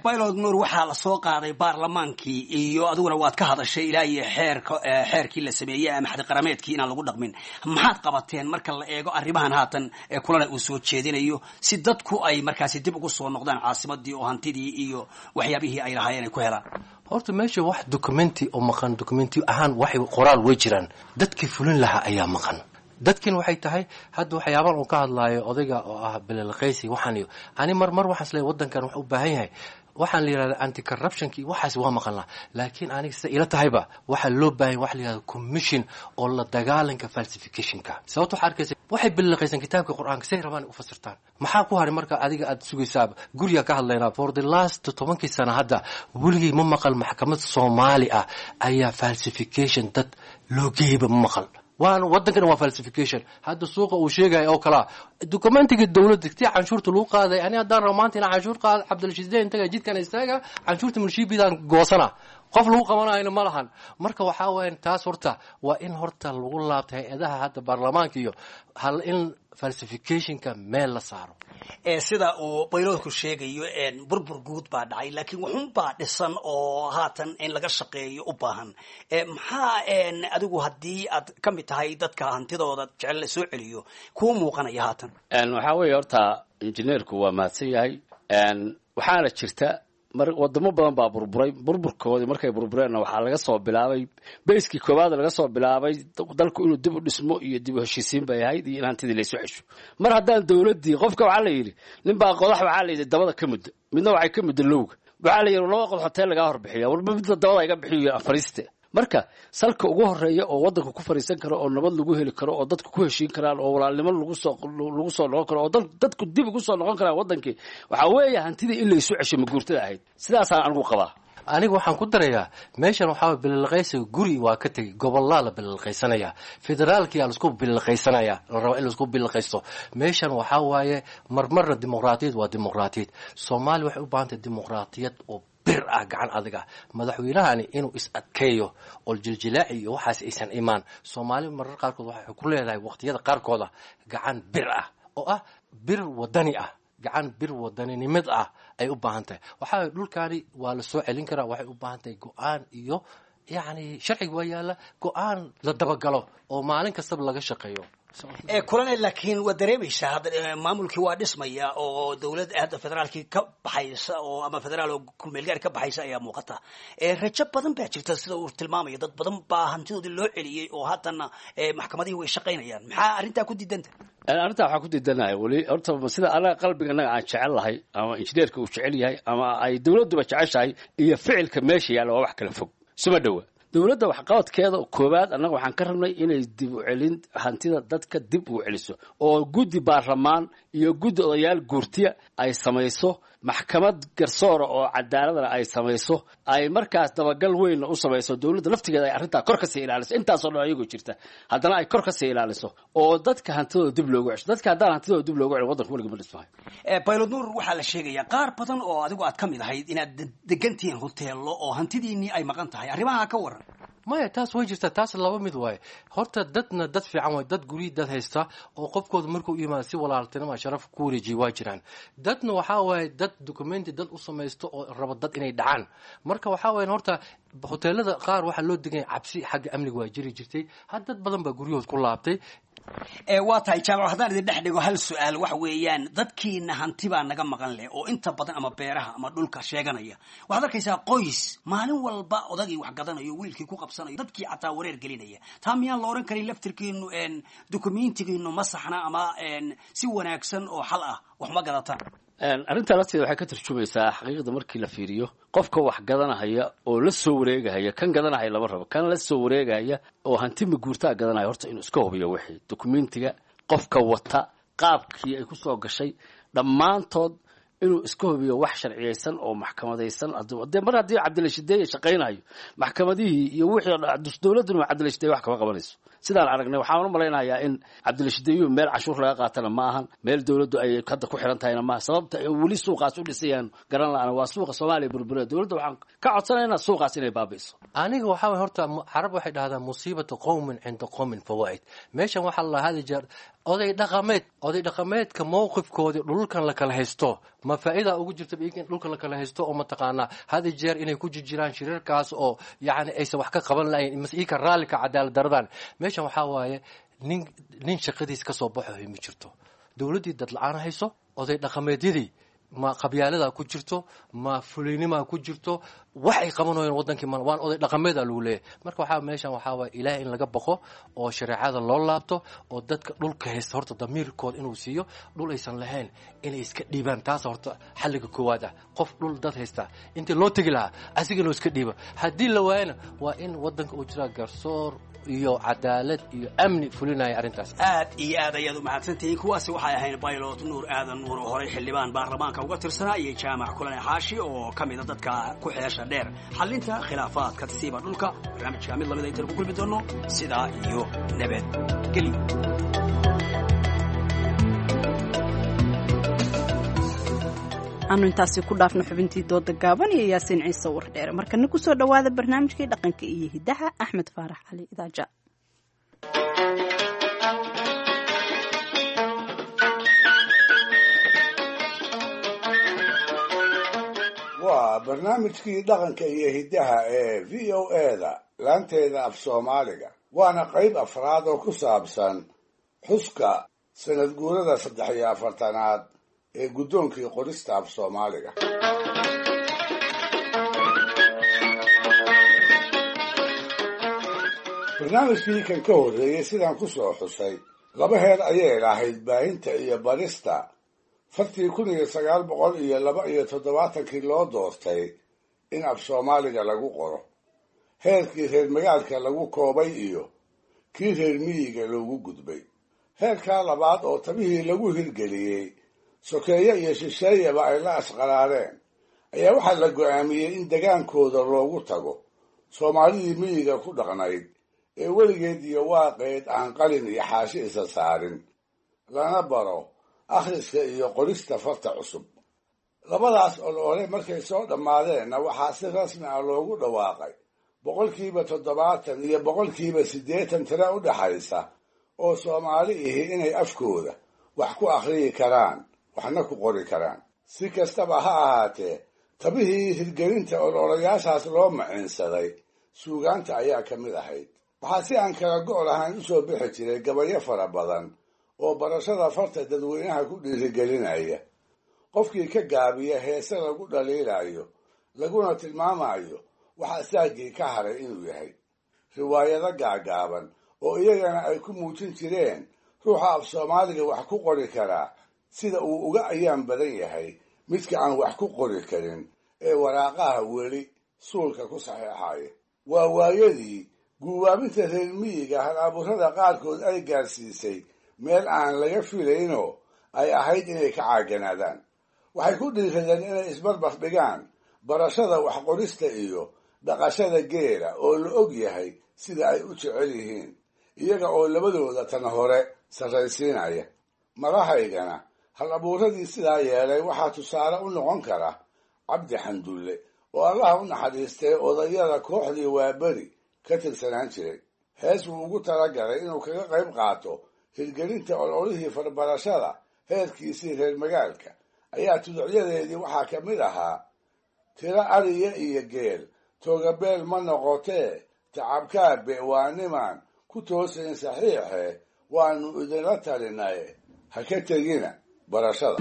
Pilot Nuur, waxaa la soo qaaday baarlamaankii iyo adiguna waad ka hadashay ilaa iyo xeerka xeerkii la sameeyey ama xadqarameedkii inaan lagu dhaqmin. Maxaad qabateen marka la eego arrimahan haatan ee Kulana uu soo jeedinayo si dadku ay markaasi dib ugu soo noqdaan caasimadii oo hantidii iyo waxyaabihii ay lahaayeen ay ku helaan? Horta meesha wax documenti oo maqan, documenti ahaan waxay qoraal way jiraan, dadkii fulin lahaa ayaa maqan. Dadkin waxay tahay hadda waxyaaban uu ka hadlaayo odayga oo ah bililqaysi waxaan iyo ani mar mar waxaan isleeyahay waddankan wax u baahan yahay waxaan la yidhahda anti corruptionki, waxaas waa maqalnaa, laakiin aniga sida ila tahayba waxaa loo baahan waxa la yidhahda commission oo la dagaalanka falsificationka. Sababta waxaa arkaysa waxay billiqaysan kitaabka Qur-aanka say rabaan u fasirtaan. Maxaa ku haray marka adiga aad sugaysaaba guriga ka hadlaynaa for the last tobankii sano? Hadda weligay ma maqal maxkamad Soomaali ah ayaa falsification dad loo geeyba, ma maqal. Waan waddankana waa falsification. Hadda suuqa uu sheegaya oo kalaa dokumentiga dowladda tii canshuurta lagu qaaday. Ani haddaan rabo maanta inaan canshuur qaado, Cabdilshiisde intaga jidkan istaaga, canshuurta munshiibidaan goosana, qof lagu qabanayna ma lahan. Marka waxaa weyan taas horta waa in horta lagu laabta hay-adaha hadda baarlamaanka iyo hal in falsificationka meel la saaro. Sida uu bayloodku sheegayo, burbur guud baa dhacay, laakiin waxun baa dhisan oo haatan in laga shaqeeyo u baahan. Maxaa adigu haddii aad ka mid tahay dadka hantidooda jecel la soo celiyo kuu muuqanaya haatan? Waxaa weeye horta injineerku waa mahadsan yahay. Waxaana jirta mar wadamo badan baa burburay. Burburkoodii markay burbureenna waxaa laga soo bilaabay bayskii koowaad laga soo bilaabay dalku inuu dib u dhismo iyo dib u heshiisiin bay ahayd iyo in hantidii laysu cesho. Mar haddaan dowladdii qofka waxaa la yidhi ninbaa qodax waxaa la yidhi dabada ka muddo, midna waxay ka muddo lowga. Waxaa la yidhi laba qodax hoteel lagaa horbixiya, walba midna dabada iga bixiyo fariiste. Marka salka ugu horeeya oo waddanka ku fariisan karo oo nabad lagu heli karo oo dadku ku heshiin karaan oo walaalnimo lagu soo lagu soo noqon karo oo dadku dib ugu soo noqon karaan waddankii waxaa weeye hantidii in laysu cesho maguurtada ahayd. Sidaasaan anigu qabaa. Aniga waxaan ku darayaa meeshan waxaa bililqaysiga guri waa ka tegey, gobolaa la bililqaysanaya, federaalkiyaa laisku bililqaysanaya, la rabaa in laisku bililqaysto. Meeshan waxaa waaye marmarna dimuqraatiyad waa dimuqraatiyad. Soomaaliya waxay u baahan tahay dimuqraatiyad oo bir ah, gacan adag ah. Madaxweynahani inuu is adkeeyo oo jiljilaaci iyo waxaas aysan imaan. Soomaali marar qaarkood waxay ku leedahay waqtiyada qaarkooda gacan bir ah oo ah bir wadani ah, gacan bir wadaninimad ah ay u baahan tahay. Waxaa dhulkaani waa la soo celin karaa, waxay u baahan tahay go-aan iyo yacni sharciga waa yaalla, go-aan la dabagalo oo maalin kastaba laga shaqeeyo. Kulane, laakiin waad dareemaysaa hadda maamulkii waa dhismaya oo dowlad hadda federaalkii ka baxaysa oo ama federaal oo kumeelgaar ka baxaysa ayaa muuqata. Rajo badan baa jirta sida uu tilmaamayo, dad badan baa hantidoodii loo celiyey oo haddana maxkamadihii way shaqaynayaan. Maxaa arrintaa ku diidanta? Arrintaa waxaa ku diidanahay weli horta sida anaga qalbiga annaga aan jecel lahay ama injineerka uu jecel yahay ama ay dowladduba jeceshahay iyo ficilka meesha yaalla waa wax kala fog, suma dhowa. Dowladda waxqabadkeeda koowaad annaga waxaan ka rabnay inay dib u celin hantida dadka dib u celiso oo guddi baarlamaan iyo guddi odayaal guurtiya ay samayso, maxkamad garsoora oo cadaaladana ay samayso, ay markaas dabagal weynna u samayso. Dowladda laftigeeda ay arrintaa kor kasii ilaaliso. Intaasoo dhan ayagoo jirta haddana ay kor kasii ilaaliso oo dadka hantidooda dib loogu cesho. Dadka haddaan hantidooda dib loogu celin waddanka weligii ma dhismahay. Baylod Nuur, waxaa la sheegayaa qaar badan oo adigu aad ka mid ahayd inaad degantihiin hoteello oo hantidiinii ay maqan tahay. Arrimaha ka waran. Maya, taas way jirtaa. Taas laba mid waaye horta. Dadna dad fiican waay, dad guryi dad haysta oo qofkooda markuu yimaado si walaaltinima sharaf ku wareejiya waa jiraan. Dadna waxaa waaye dad documenti dad u samaysto oo rabo dad inay dhacaan. Marka waxaa waaye horta hoteelada qaar waxaa loo deganya cabsi xagga amniga waa jiri jirtay. Had dad badan baa guryahood ku laabtay. Waa tahay Jaamac, haddaan idin dhex dhigo hal su-aal waxa weeyaan dadkiina hanti baa naga maqan leh oo inta badan ama beeraha ama dhulka sheeganaya. Waxaad arkaysaa qoys maalin walba odagii wax gadanayo, wiilkii ku qabsanayo, dadkii xataa wareer gelinaya. Taa miyaan la odhan karin laftirkiinu documentigiinu ma saxna ama si wanaagsan oo xal ah wax ma gadataan? Arrintaa lafteeda waxay ka tarjumaysaa xaqiiqda markii la fiiriyo qofka wax gadanahaya oo la soo wareegahaya. Kan gadanahaya lama rabo, kan la soo wareegahaya oo hanti maguurtaa gadanaya horta inuu iska hubiyo wixii documentiga qofka wata qaabkii ay ku soo gashay dhammaantood inuu iska hubiyo wax sharciyaysan oo maxkamadaysan. Dee mar haddii Cabdilashideeye shaqaynayo maxkamadihii iyo wixii dowladduna Cabdilashideeye wax kama qabanayso sidaan aragnay. Waxaan u malaynayaa in Cabdilashideeyuhu meel cashuur laga qaatana ma ahan, meel dowladdu ay hadda ku xiran tahayna maaha. Sababta ay weli suuqaas u dhisayaan garan la'ana waa suuqa Soomaaliya burbura. Dowladda waxaan ka codsanaynaa suuqaas inay baabi'iso. Aniga waxaa waye horta carab waxay dhahdaa musiibatu qowmin cinda qowmin fawaa'id. Meeshan waxaa la hadi jeer oday dhaqameed, oday dhaqameedka mowqifkoodii dhulkan la kala haysto ma faa'iida ugu jirta in dhulka la kala haysto oo mataqaanaa hadi jeer inay ku jirjiraan shirarkaas oo yacni aysan wax ka qaban lahayn mase iika raallika cadaalad daradan. Meeshan waxaa waaye nin nin shaqadiis ka soo baxo ma jirto, dowladdii dad la-aan hayso, oday dhaqameedyadii ma qabyaaladaa ku jirto, ma fulaynimaa ku jirto, wax ay qabanayeen wadankii ma waan oday dhaqameeda lagu leeyahay. Marka waxaa meeshan waxaa waaya ilaahay in laga baqo oo shareecada loo laabto oo dadka dhulka haysta horta damiirkooda inuu siiyo dhul aysan lahayn inay iska dhiibaan. Taas horta xalliga koowaad ah. Qof dhul dad haysta intii loo tegi lahaa asiga loo iska dhiibo, haddii la waayana waa in wadanka uu jiraa garsoor iyo cadaalad iyo amni fulinaya arrintaas. Aad iyo aad ayaad u mahadsantihiin. Kuwaasi waxay ahayn Baylot Nuur Aadan Nuur oo horey xildhibaan baarlamaanka uga tirsanaa iyo Jaamac Kulane Xaashi oo ka mida dadka ku xeesha nolosha dheer, xallinta khilaafaadka siiba dhulka. Barnaamijka mid lamida intaan ku kulmi doono, sidaa iyo nabadgelyo. Aanu intaasi ku dhaafno xubintii dooda gaaban iyo Yaasiin Ciise Wardheere. Markana kusoo dhowaada barnaamijkii dhaqanka iyo hidaha, Axmed Faarax Cali Idaaja. Waa barnaamijkii dhaqanka iyo hiddaha ee V O A da laanteeda af Soomaaliga, waana qayb afraad oo ku saabsan xuska sanad guurada saddex iyo afartanaad ee guddoonkii qorista af Soomaaliga. Barnaamijkii kan ka horreeyey sidaan ku soo xusay, laba heer ayay lahayd baahinta iyo barista fartii kun iyo sagaal boqol iyo laba iyo toddobaatankii loo doortay in af Soomaaliga lagu qoro, heerkii reer magaalka lagu koobay iyo kii reer miyiga loogu gudbay. Heerkaa labaad oo tabihii lagu hirgeliyey sokeeye iyo shisheeyaba ay la asqaraareen ayaa waxaa la go'aamiyey in degaankooda loogu tago Soomaalidii miyiga ku dhaqnayd ee weligeed iyo waaqeed aan qalin iyo xaashi isa saarin, lana baro akhriska iyo qorista farta cusub. Labadaas olole markay soo dhammaadeenna waxaa si rasmi ah loogu dhawaaqay boqolkiiba toddobaatan iyo boqolkiiba siddeetan tira u dhaxaysa oo Soomaali ihi inay afkooda wax ku akhriyi karaan waxna ku qori karaan. Si kastaba ha ahaatee, tabihii hirgelinta ololayaashaas loo maciinsaday suugaanta ayaa ka mid ahayd. Waxaa si aan kala go' lahayn u soo bixi jiray gabayo fara badan oo barashada farta dadweynaha ku dhiirigelinaya. Qofkii ka gaabiya heese lagu dhaliilayo laguna tilmaamayo waxa saagii ka haray inuu yahay. Riwaayado gaagaaban oo iyagana ay ku muujin jireen ruuxa af Soomaaliga wax ku qori karaa sida uu uga ayaan badan yahay midka aan wax ku qori karin ee waraaqaha weli suulka ku saxeexaya. Waa waayadii guubaabinta reer miyiga hal abuurada qaarkood ay gaarsiisay meel aan laga filaynoo ay ahayd inay ka caaganaadaan. Waxay ku dhiiradeen inay isbarbar dhigaan barashada waxqorista iyo dhaqashada geela oo la og yahay sida ay u jecel yihiin, iyaga oo labadooda tan hore sarraysiinaya. Madahaygana hal abuuradii sidaa yeelay waxaa tusaale u noqon kara Cabdi Xandulle oo Allaha u naxariistay odayada kooxdii Waaberi ka tirsanaan jiray. Hees wuu ugu talagalay inuu kaga qayb qaato hirgelinta ololihii farbarashada heerkiisii reer magaalka ayaa tuducyadeedii waxaa ka mid ahaa: tiro ariya iyo geel toogabeel ma noqotee, tacabkaabe waa nimaan ku toosayn saxiixe, waanu idinla talinaye ha ka tegina barashada.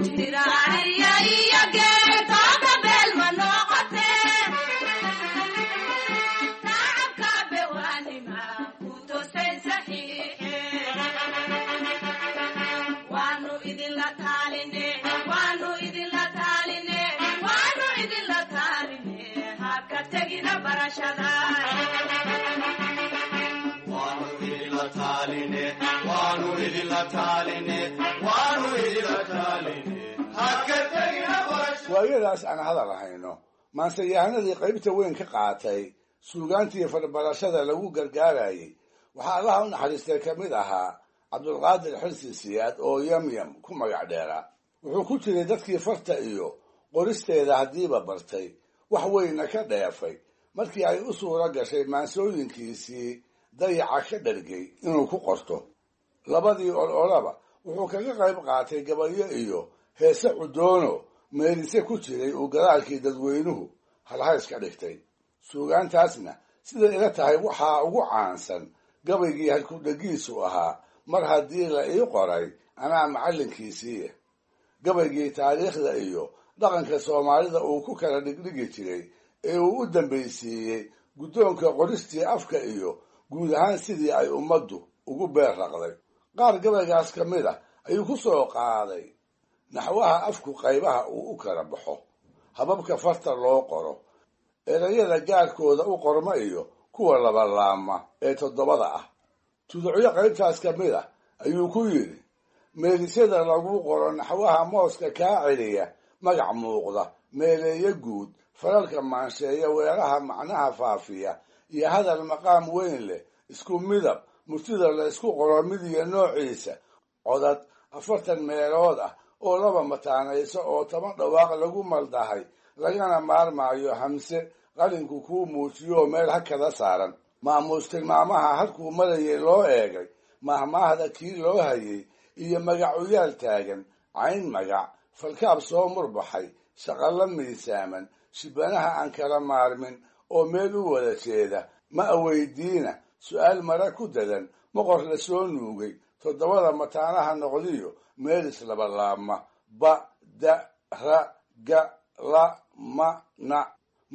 Waayadaas aan hadal hayno, maanseyahanadii qaybta weyn ka qaatay suugaantii farbarashada lagu gargaarayay waxaa Allaha u naxariistay ka mid ahaa Cabdulqaadir Xirsi Siyaad oo Yamyam ku magac dheeraa. Wuxuu ku jiray dadkii farta iyo qoristeeda haddiiba bartay, wax weynna ka dheefay markii ay u suura gashay maansooyinkiisii dayaca ka dhargay inuu ku qorto. Labadii ololaba wuxuu kaga qayb qaatay gabayo iyo heese cudoono meelise ku jiray uu gadaalkii dadweynuhu halhays ka dhigtay. Suugaantaasna siday ila tahay waxaa ugu caansan gabaygii halkudhegiisu ahaa mar haddii la ii qoray anaa macallinkiisiiya, gabaygii taariikhda iyo dhaqanka Soomaalida uu ku kala dhigdhigi jiray ee uu u dambaysiiyey guddoonka qoristii afka iyo guud ahaan sidii ay ummaddu ugu beer raqday. Qaar gabaygaas ka mid ah ayuu ku soo qaaday naxwaha afku qaybaha uu u kala baxo, hababka farta loo qoro, erayada gaarkooda u qorma iyo kuwa labalaama ee toddobada ah. Tuducyo qaybtaas ka mid ah ayuu ku yidhi: meelisyada lagu qoro naxwaha mooska kaa celiya, magac muuqda, meeleeyo guud, Falalka maansheeya, weeraha macnaha faafiya iyo hadal maqaam weyn leh, isku midab murtida la isku qoro mid iyo noociisa, codad afartan meelood ah oo laba mataanayso oo toban dhawaaq lagu maldahay, lagana maarmaayo hamse qalinku kuu muujiyo meel hakada saaran. Maamuus tilmaamaha halkuu marayay loo eegay, mahmaahda kii loo hayay iyo magacuyaal taagan, cayn magac falkaab soo murbaxay, shaqallo miisaaman, shibanaha aan kala maarmin oo meel u wada jeeda, ma aweydiina su'aal mara ku dadan, moqor la soo nuugay, toddobada mataanaha noqdiyo meel islabalaabma, ba da ra ga la ma na.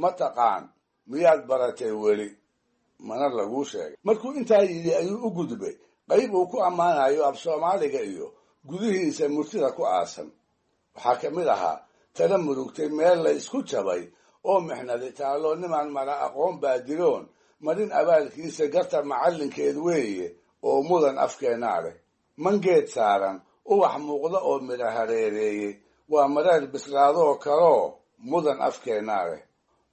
Ma taqaan miyaad baratay weli? Mana laguu sheegay. Markuu intaa yidhi ayuu u gudbay qayb uu ku ammaanayo af Soomaaliga iyo gudihiisa murtida ku aasan. Waxaa ka mid ahaa tala murugtay meel la isku jabay oo mixnadi taallo, nimaan mala aqoon baadiloon marin abaalkiisa garta macallinkeed weeye oo mudan afkeennaa leh. Mangeed saaran ubax muuqda oo midha hareereeyey waa mareer bislaadoo kaloo mudan afkeennaa leh.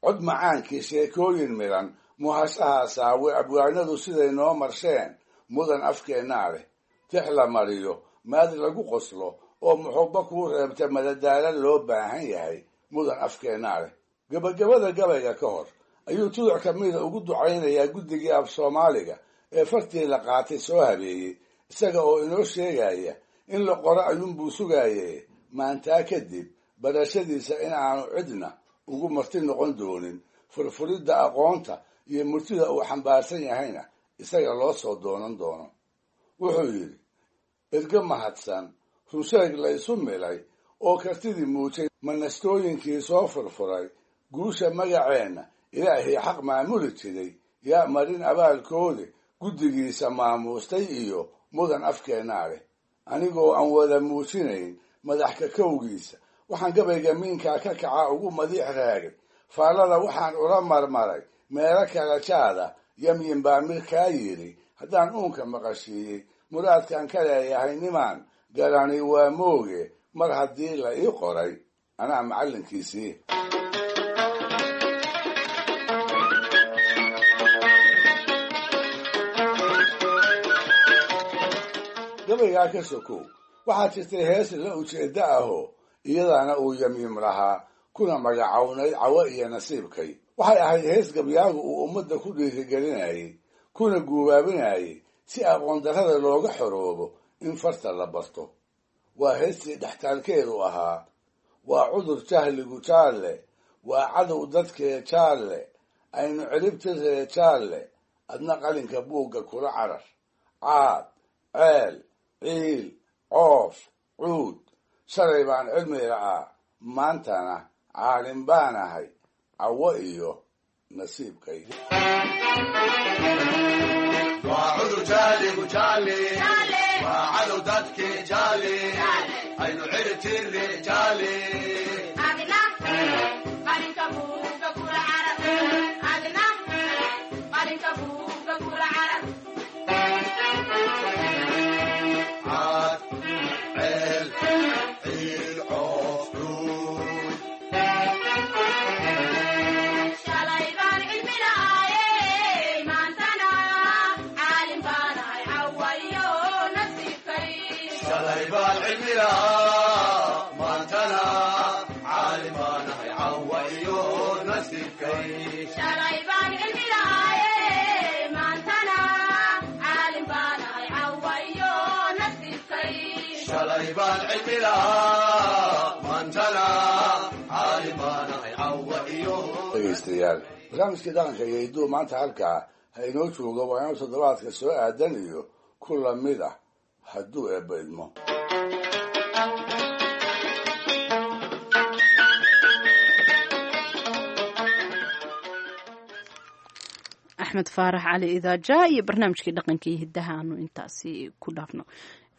Cod macaankii sheekooyin midhan muhashaha saawe abwaanadu siday noo marsheen mudan afkeennaa leh. Tix la mariyo maad lagu qoslo oo muxubo kuu reebta madadaalo loo baahan yahay mudan afkeennaa leh. Gabagabada gabayga ka hor ayuu tuduc ka mida ugu ducaynayaa guddigii af Soomaaliga ee fartii la qaatay soo habeeyey, isaga oo inoo sheegaya in la qoro ayuunbuu sugaayee maantaa kadib barashadiisa in aanu cidna ugu marti noqon doonin, furfuridda aqoonta iyo murtida uu xambaarsan yahayna isaga loo soo doonan doono. Wuxuu yidhi: ergo mahadsan, runsheeg la isu milay oo kartidii muujay, manastooyinkii soo furfuray, guusha magaceenna ilaahay xaq maamuli jiray, yaa marin abaalkoodi guddigiisa maamuustay iyo mudan afkeennaa leh. Anigoo aan wada muujinayn madax kakowgiisa, waxaan gabayga miinkaa ka kaca ugu madiix raagay, faallada waxaan ula marmaray meelo kala jaada, yamyin baa mirkaa yidhi haddaan uunka maqashiiyey, muraadkaan ka leeyahay nimaan garani waa mooge, mar haddii la ii qoray anaa macallinkiisii. Gabaygaa ka sokow waxaa jirtay hees la ujeeddo ahoo iyadana uu yamyim lahaa kuna magacownay Cawo iyo Nasiibkay. Waxay ahayd hees gabyaagu uu ummadda ku dhiirigelinayey kuna guubaabinayey si aqoon darrada looga xoroobo in farta la barto. Waa heestii dhextaalkeedu ahaa: waa cudur jahligu jaalle, waa cadow dadkee jaalle, aynu ciribtiree jaalle, adna qalinka buugga kula carar, caad ceel ciil coof cuud, shalay baan cilmi la'aa maantana caalim baan ahay, cawo iyo nasiibkay. Waa cudur jahligu jaalle, waa cadow dadkee jaalle, aynu ciribtirre jaalle. Caad ceel ciil coof cuud. Shalay baan cilmi lahaa maantana caalim baan ahay, cawa iyo nasiibkay. Shalay baan cilmi lahaa maantana caalim baan ahay, cawa iyo. Dhegaystayaal, barnaamijkii dhaqanka iyo hidduu maanta halkaa ha inoo joogo. Waa inuu toddobaadka soo aadan iyo ku lamid ah hadduu eebba idmo. Axmed Faarax Cali Idaaja iyo barnaamijkii dhaqanka iyo hiddaha aanu intaasi ku dhaafno.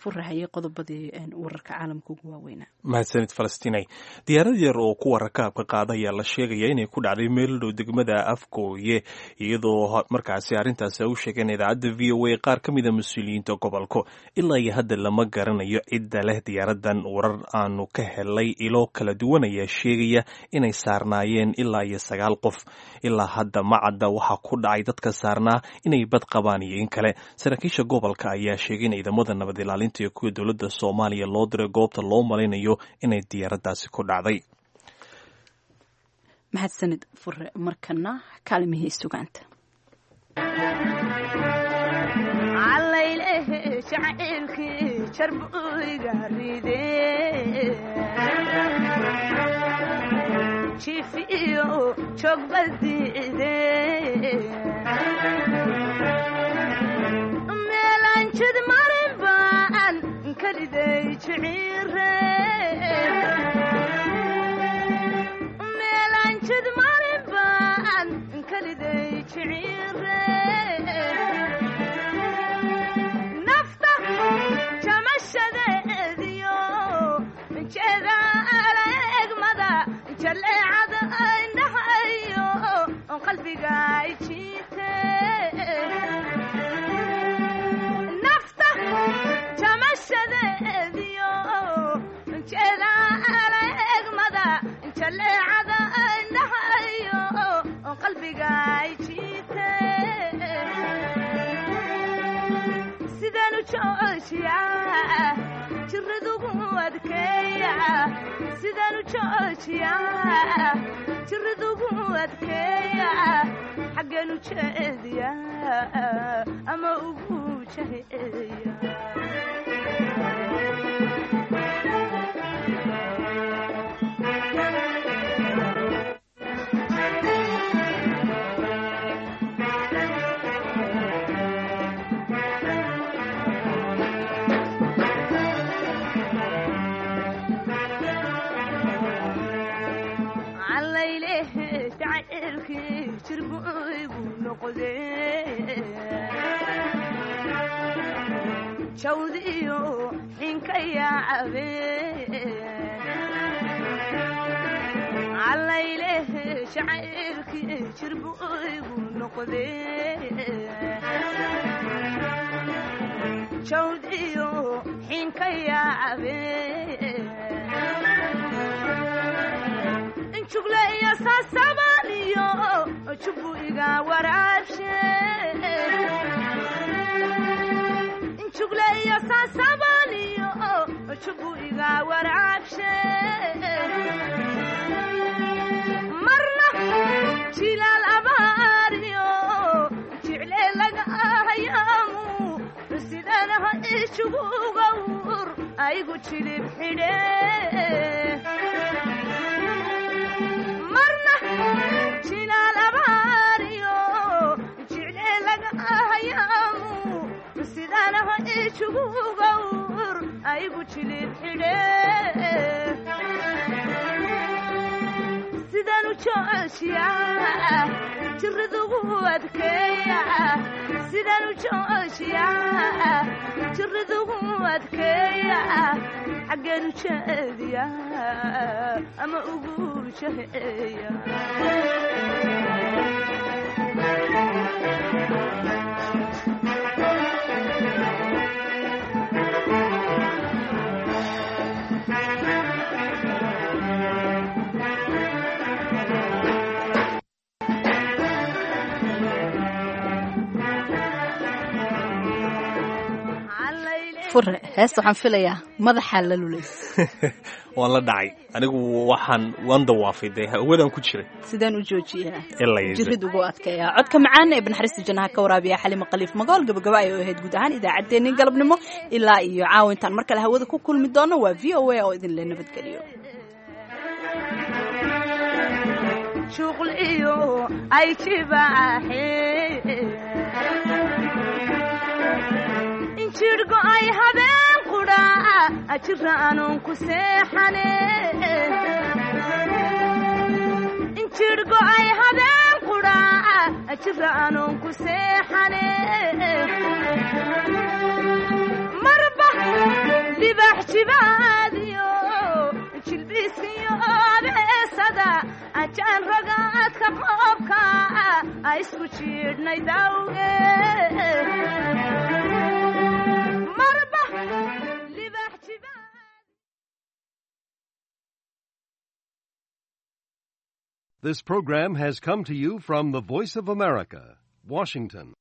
Furahayay qodobadii wararka caalamka ugu waaweynaa. Mahadsanid Falastinay. Diyaarad yar oo kuwa rakaabka qaada ayaa la sheegaya inay ku dhacday meel dhow degmada Afgooye, iyadoo markaasi arrintaasi ay u sheegeen idaacadda V O A qaar ka mida mas-uuliyiinta gobolka. Ilaa iyo hadda lama garanayo cidda leh diyaaradan. Warar aanu ka helay ilo kala duwan ayaa sheegaya inay saarnaayeen ilaa iyo sagaal qof. Ilaa hadda ma cadda waxaa ku dhacay dadka saarnaa, inay bad qabaan iyo in kale. Saraakiisha gobolka ayaa sheegay in ciidamada nabad ilaalinta iyo kuwa dowladda Soomaaliya loo diray goobta loo malaynayo inay diyaaraddaasi ku dhacday. Mahadsanid Fure. Markana kaalimihii sugaanta. Fure, heesta waxaan filayaa madaxaa la lulays. Waan la dhacay anigu, waxaan waan dawaafay dee hawadaan ku jiray. Sidaan u joojiyaa jirid ugu adkeeyaa codka macaan ee banaxariista jannaha ka waraabiya Xalima Khaliif Magool. Gabagaba ay ahayd guud ahaan idaacaddeenii galabnimo. Ilaa iyo caawintaan mar kale hawada ku kulmi doono, waa V O A oo idin le nabadgeliyo. Jirgo ay habeen qudhaa ajira aanun ku seexane, jirgo ay habeen qudhaa ajira aanun ku seexane, marba Libax jibaadiyo jilbiisiyo abeesada ajaan ragaadka qoobka a isku jiidhnay dawge marba libax This program has come to you from the Voice of America, Washington.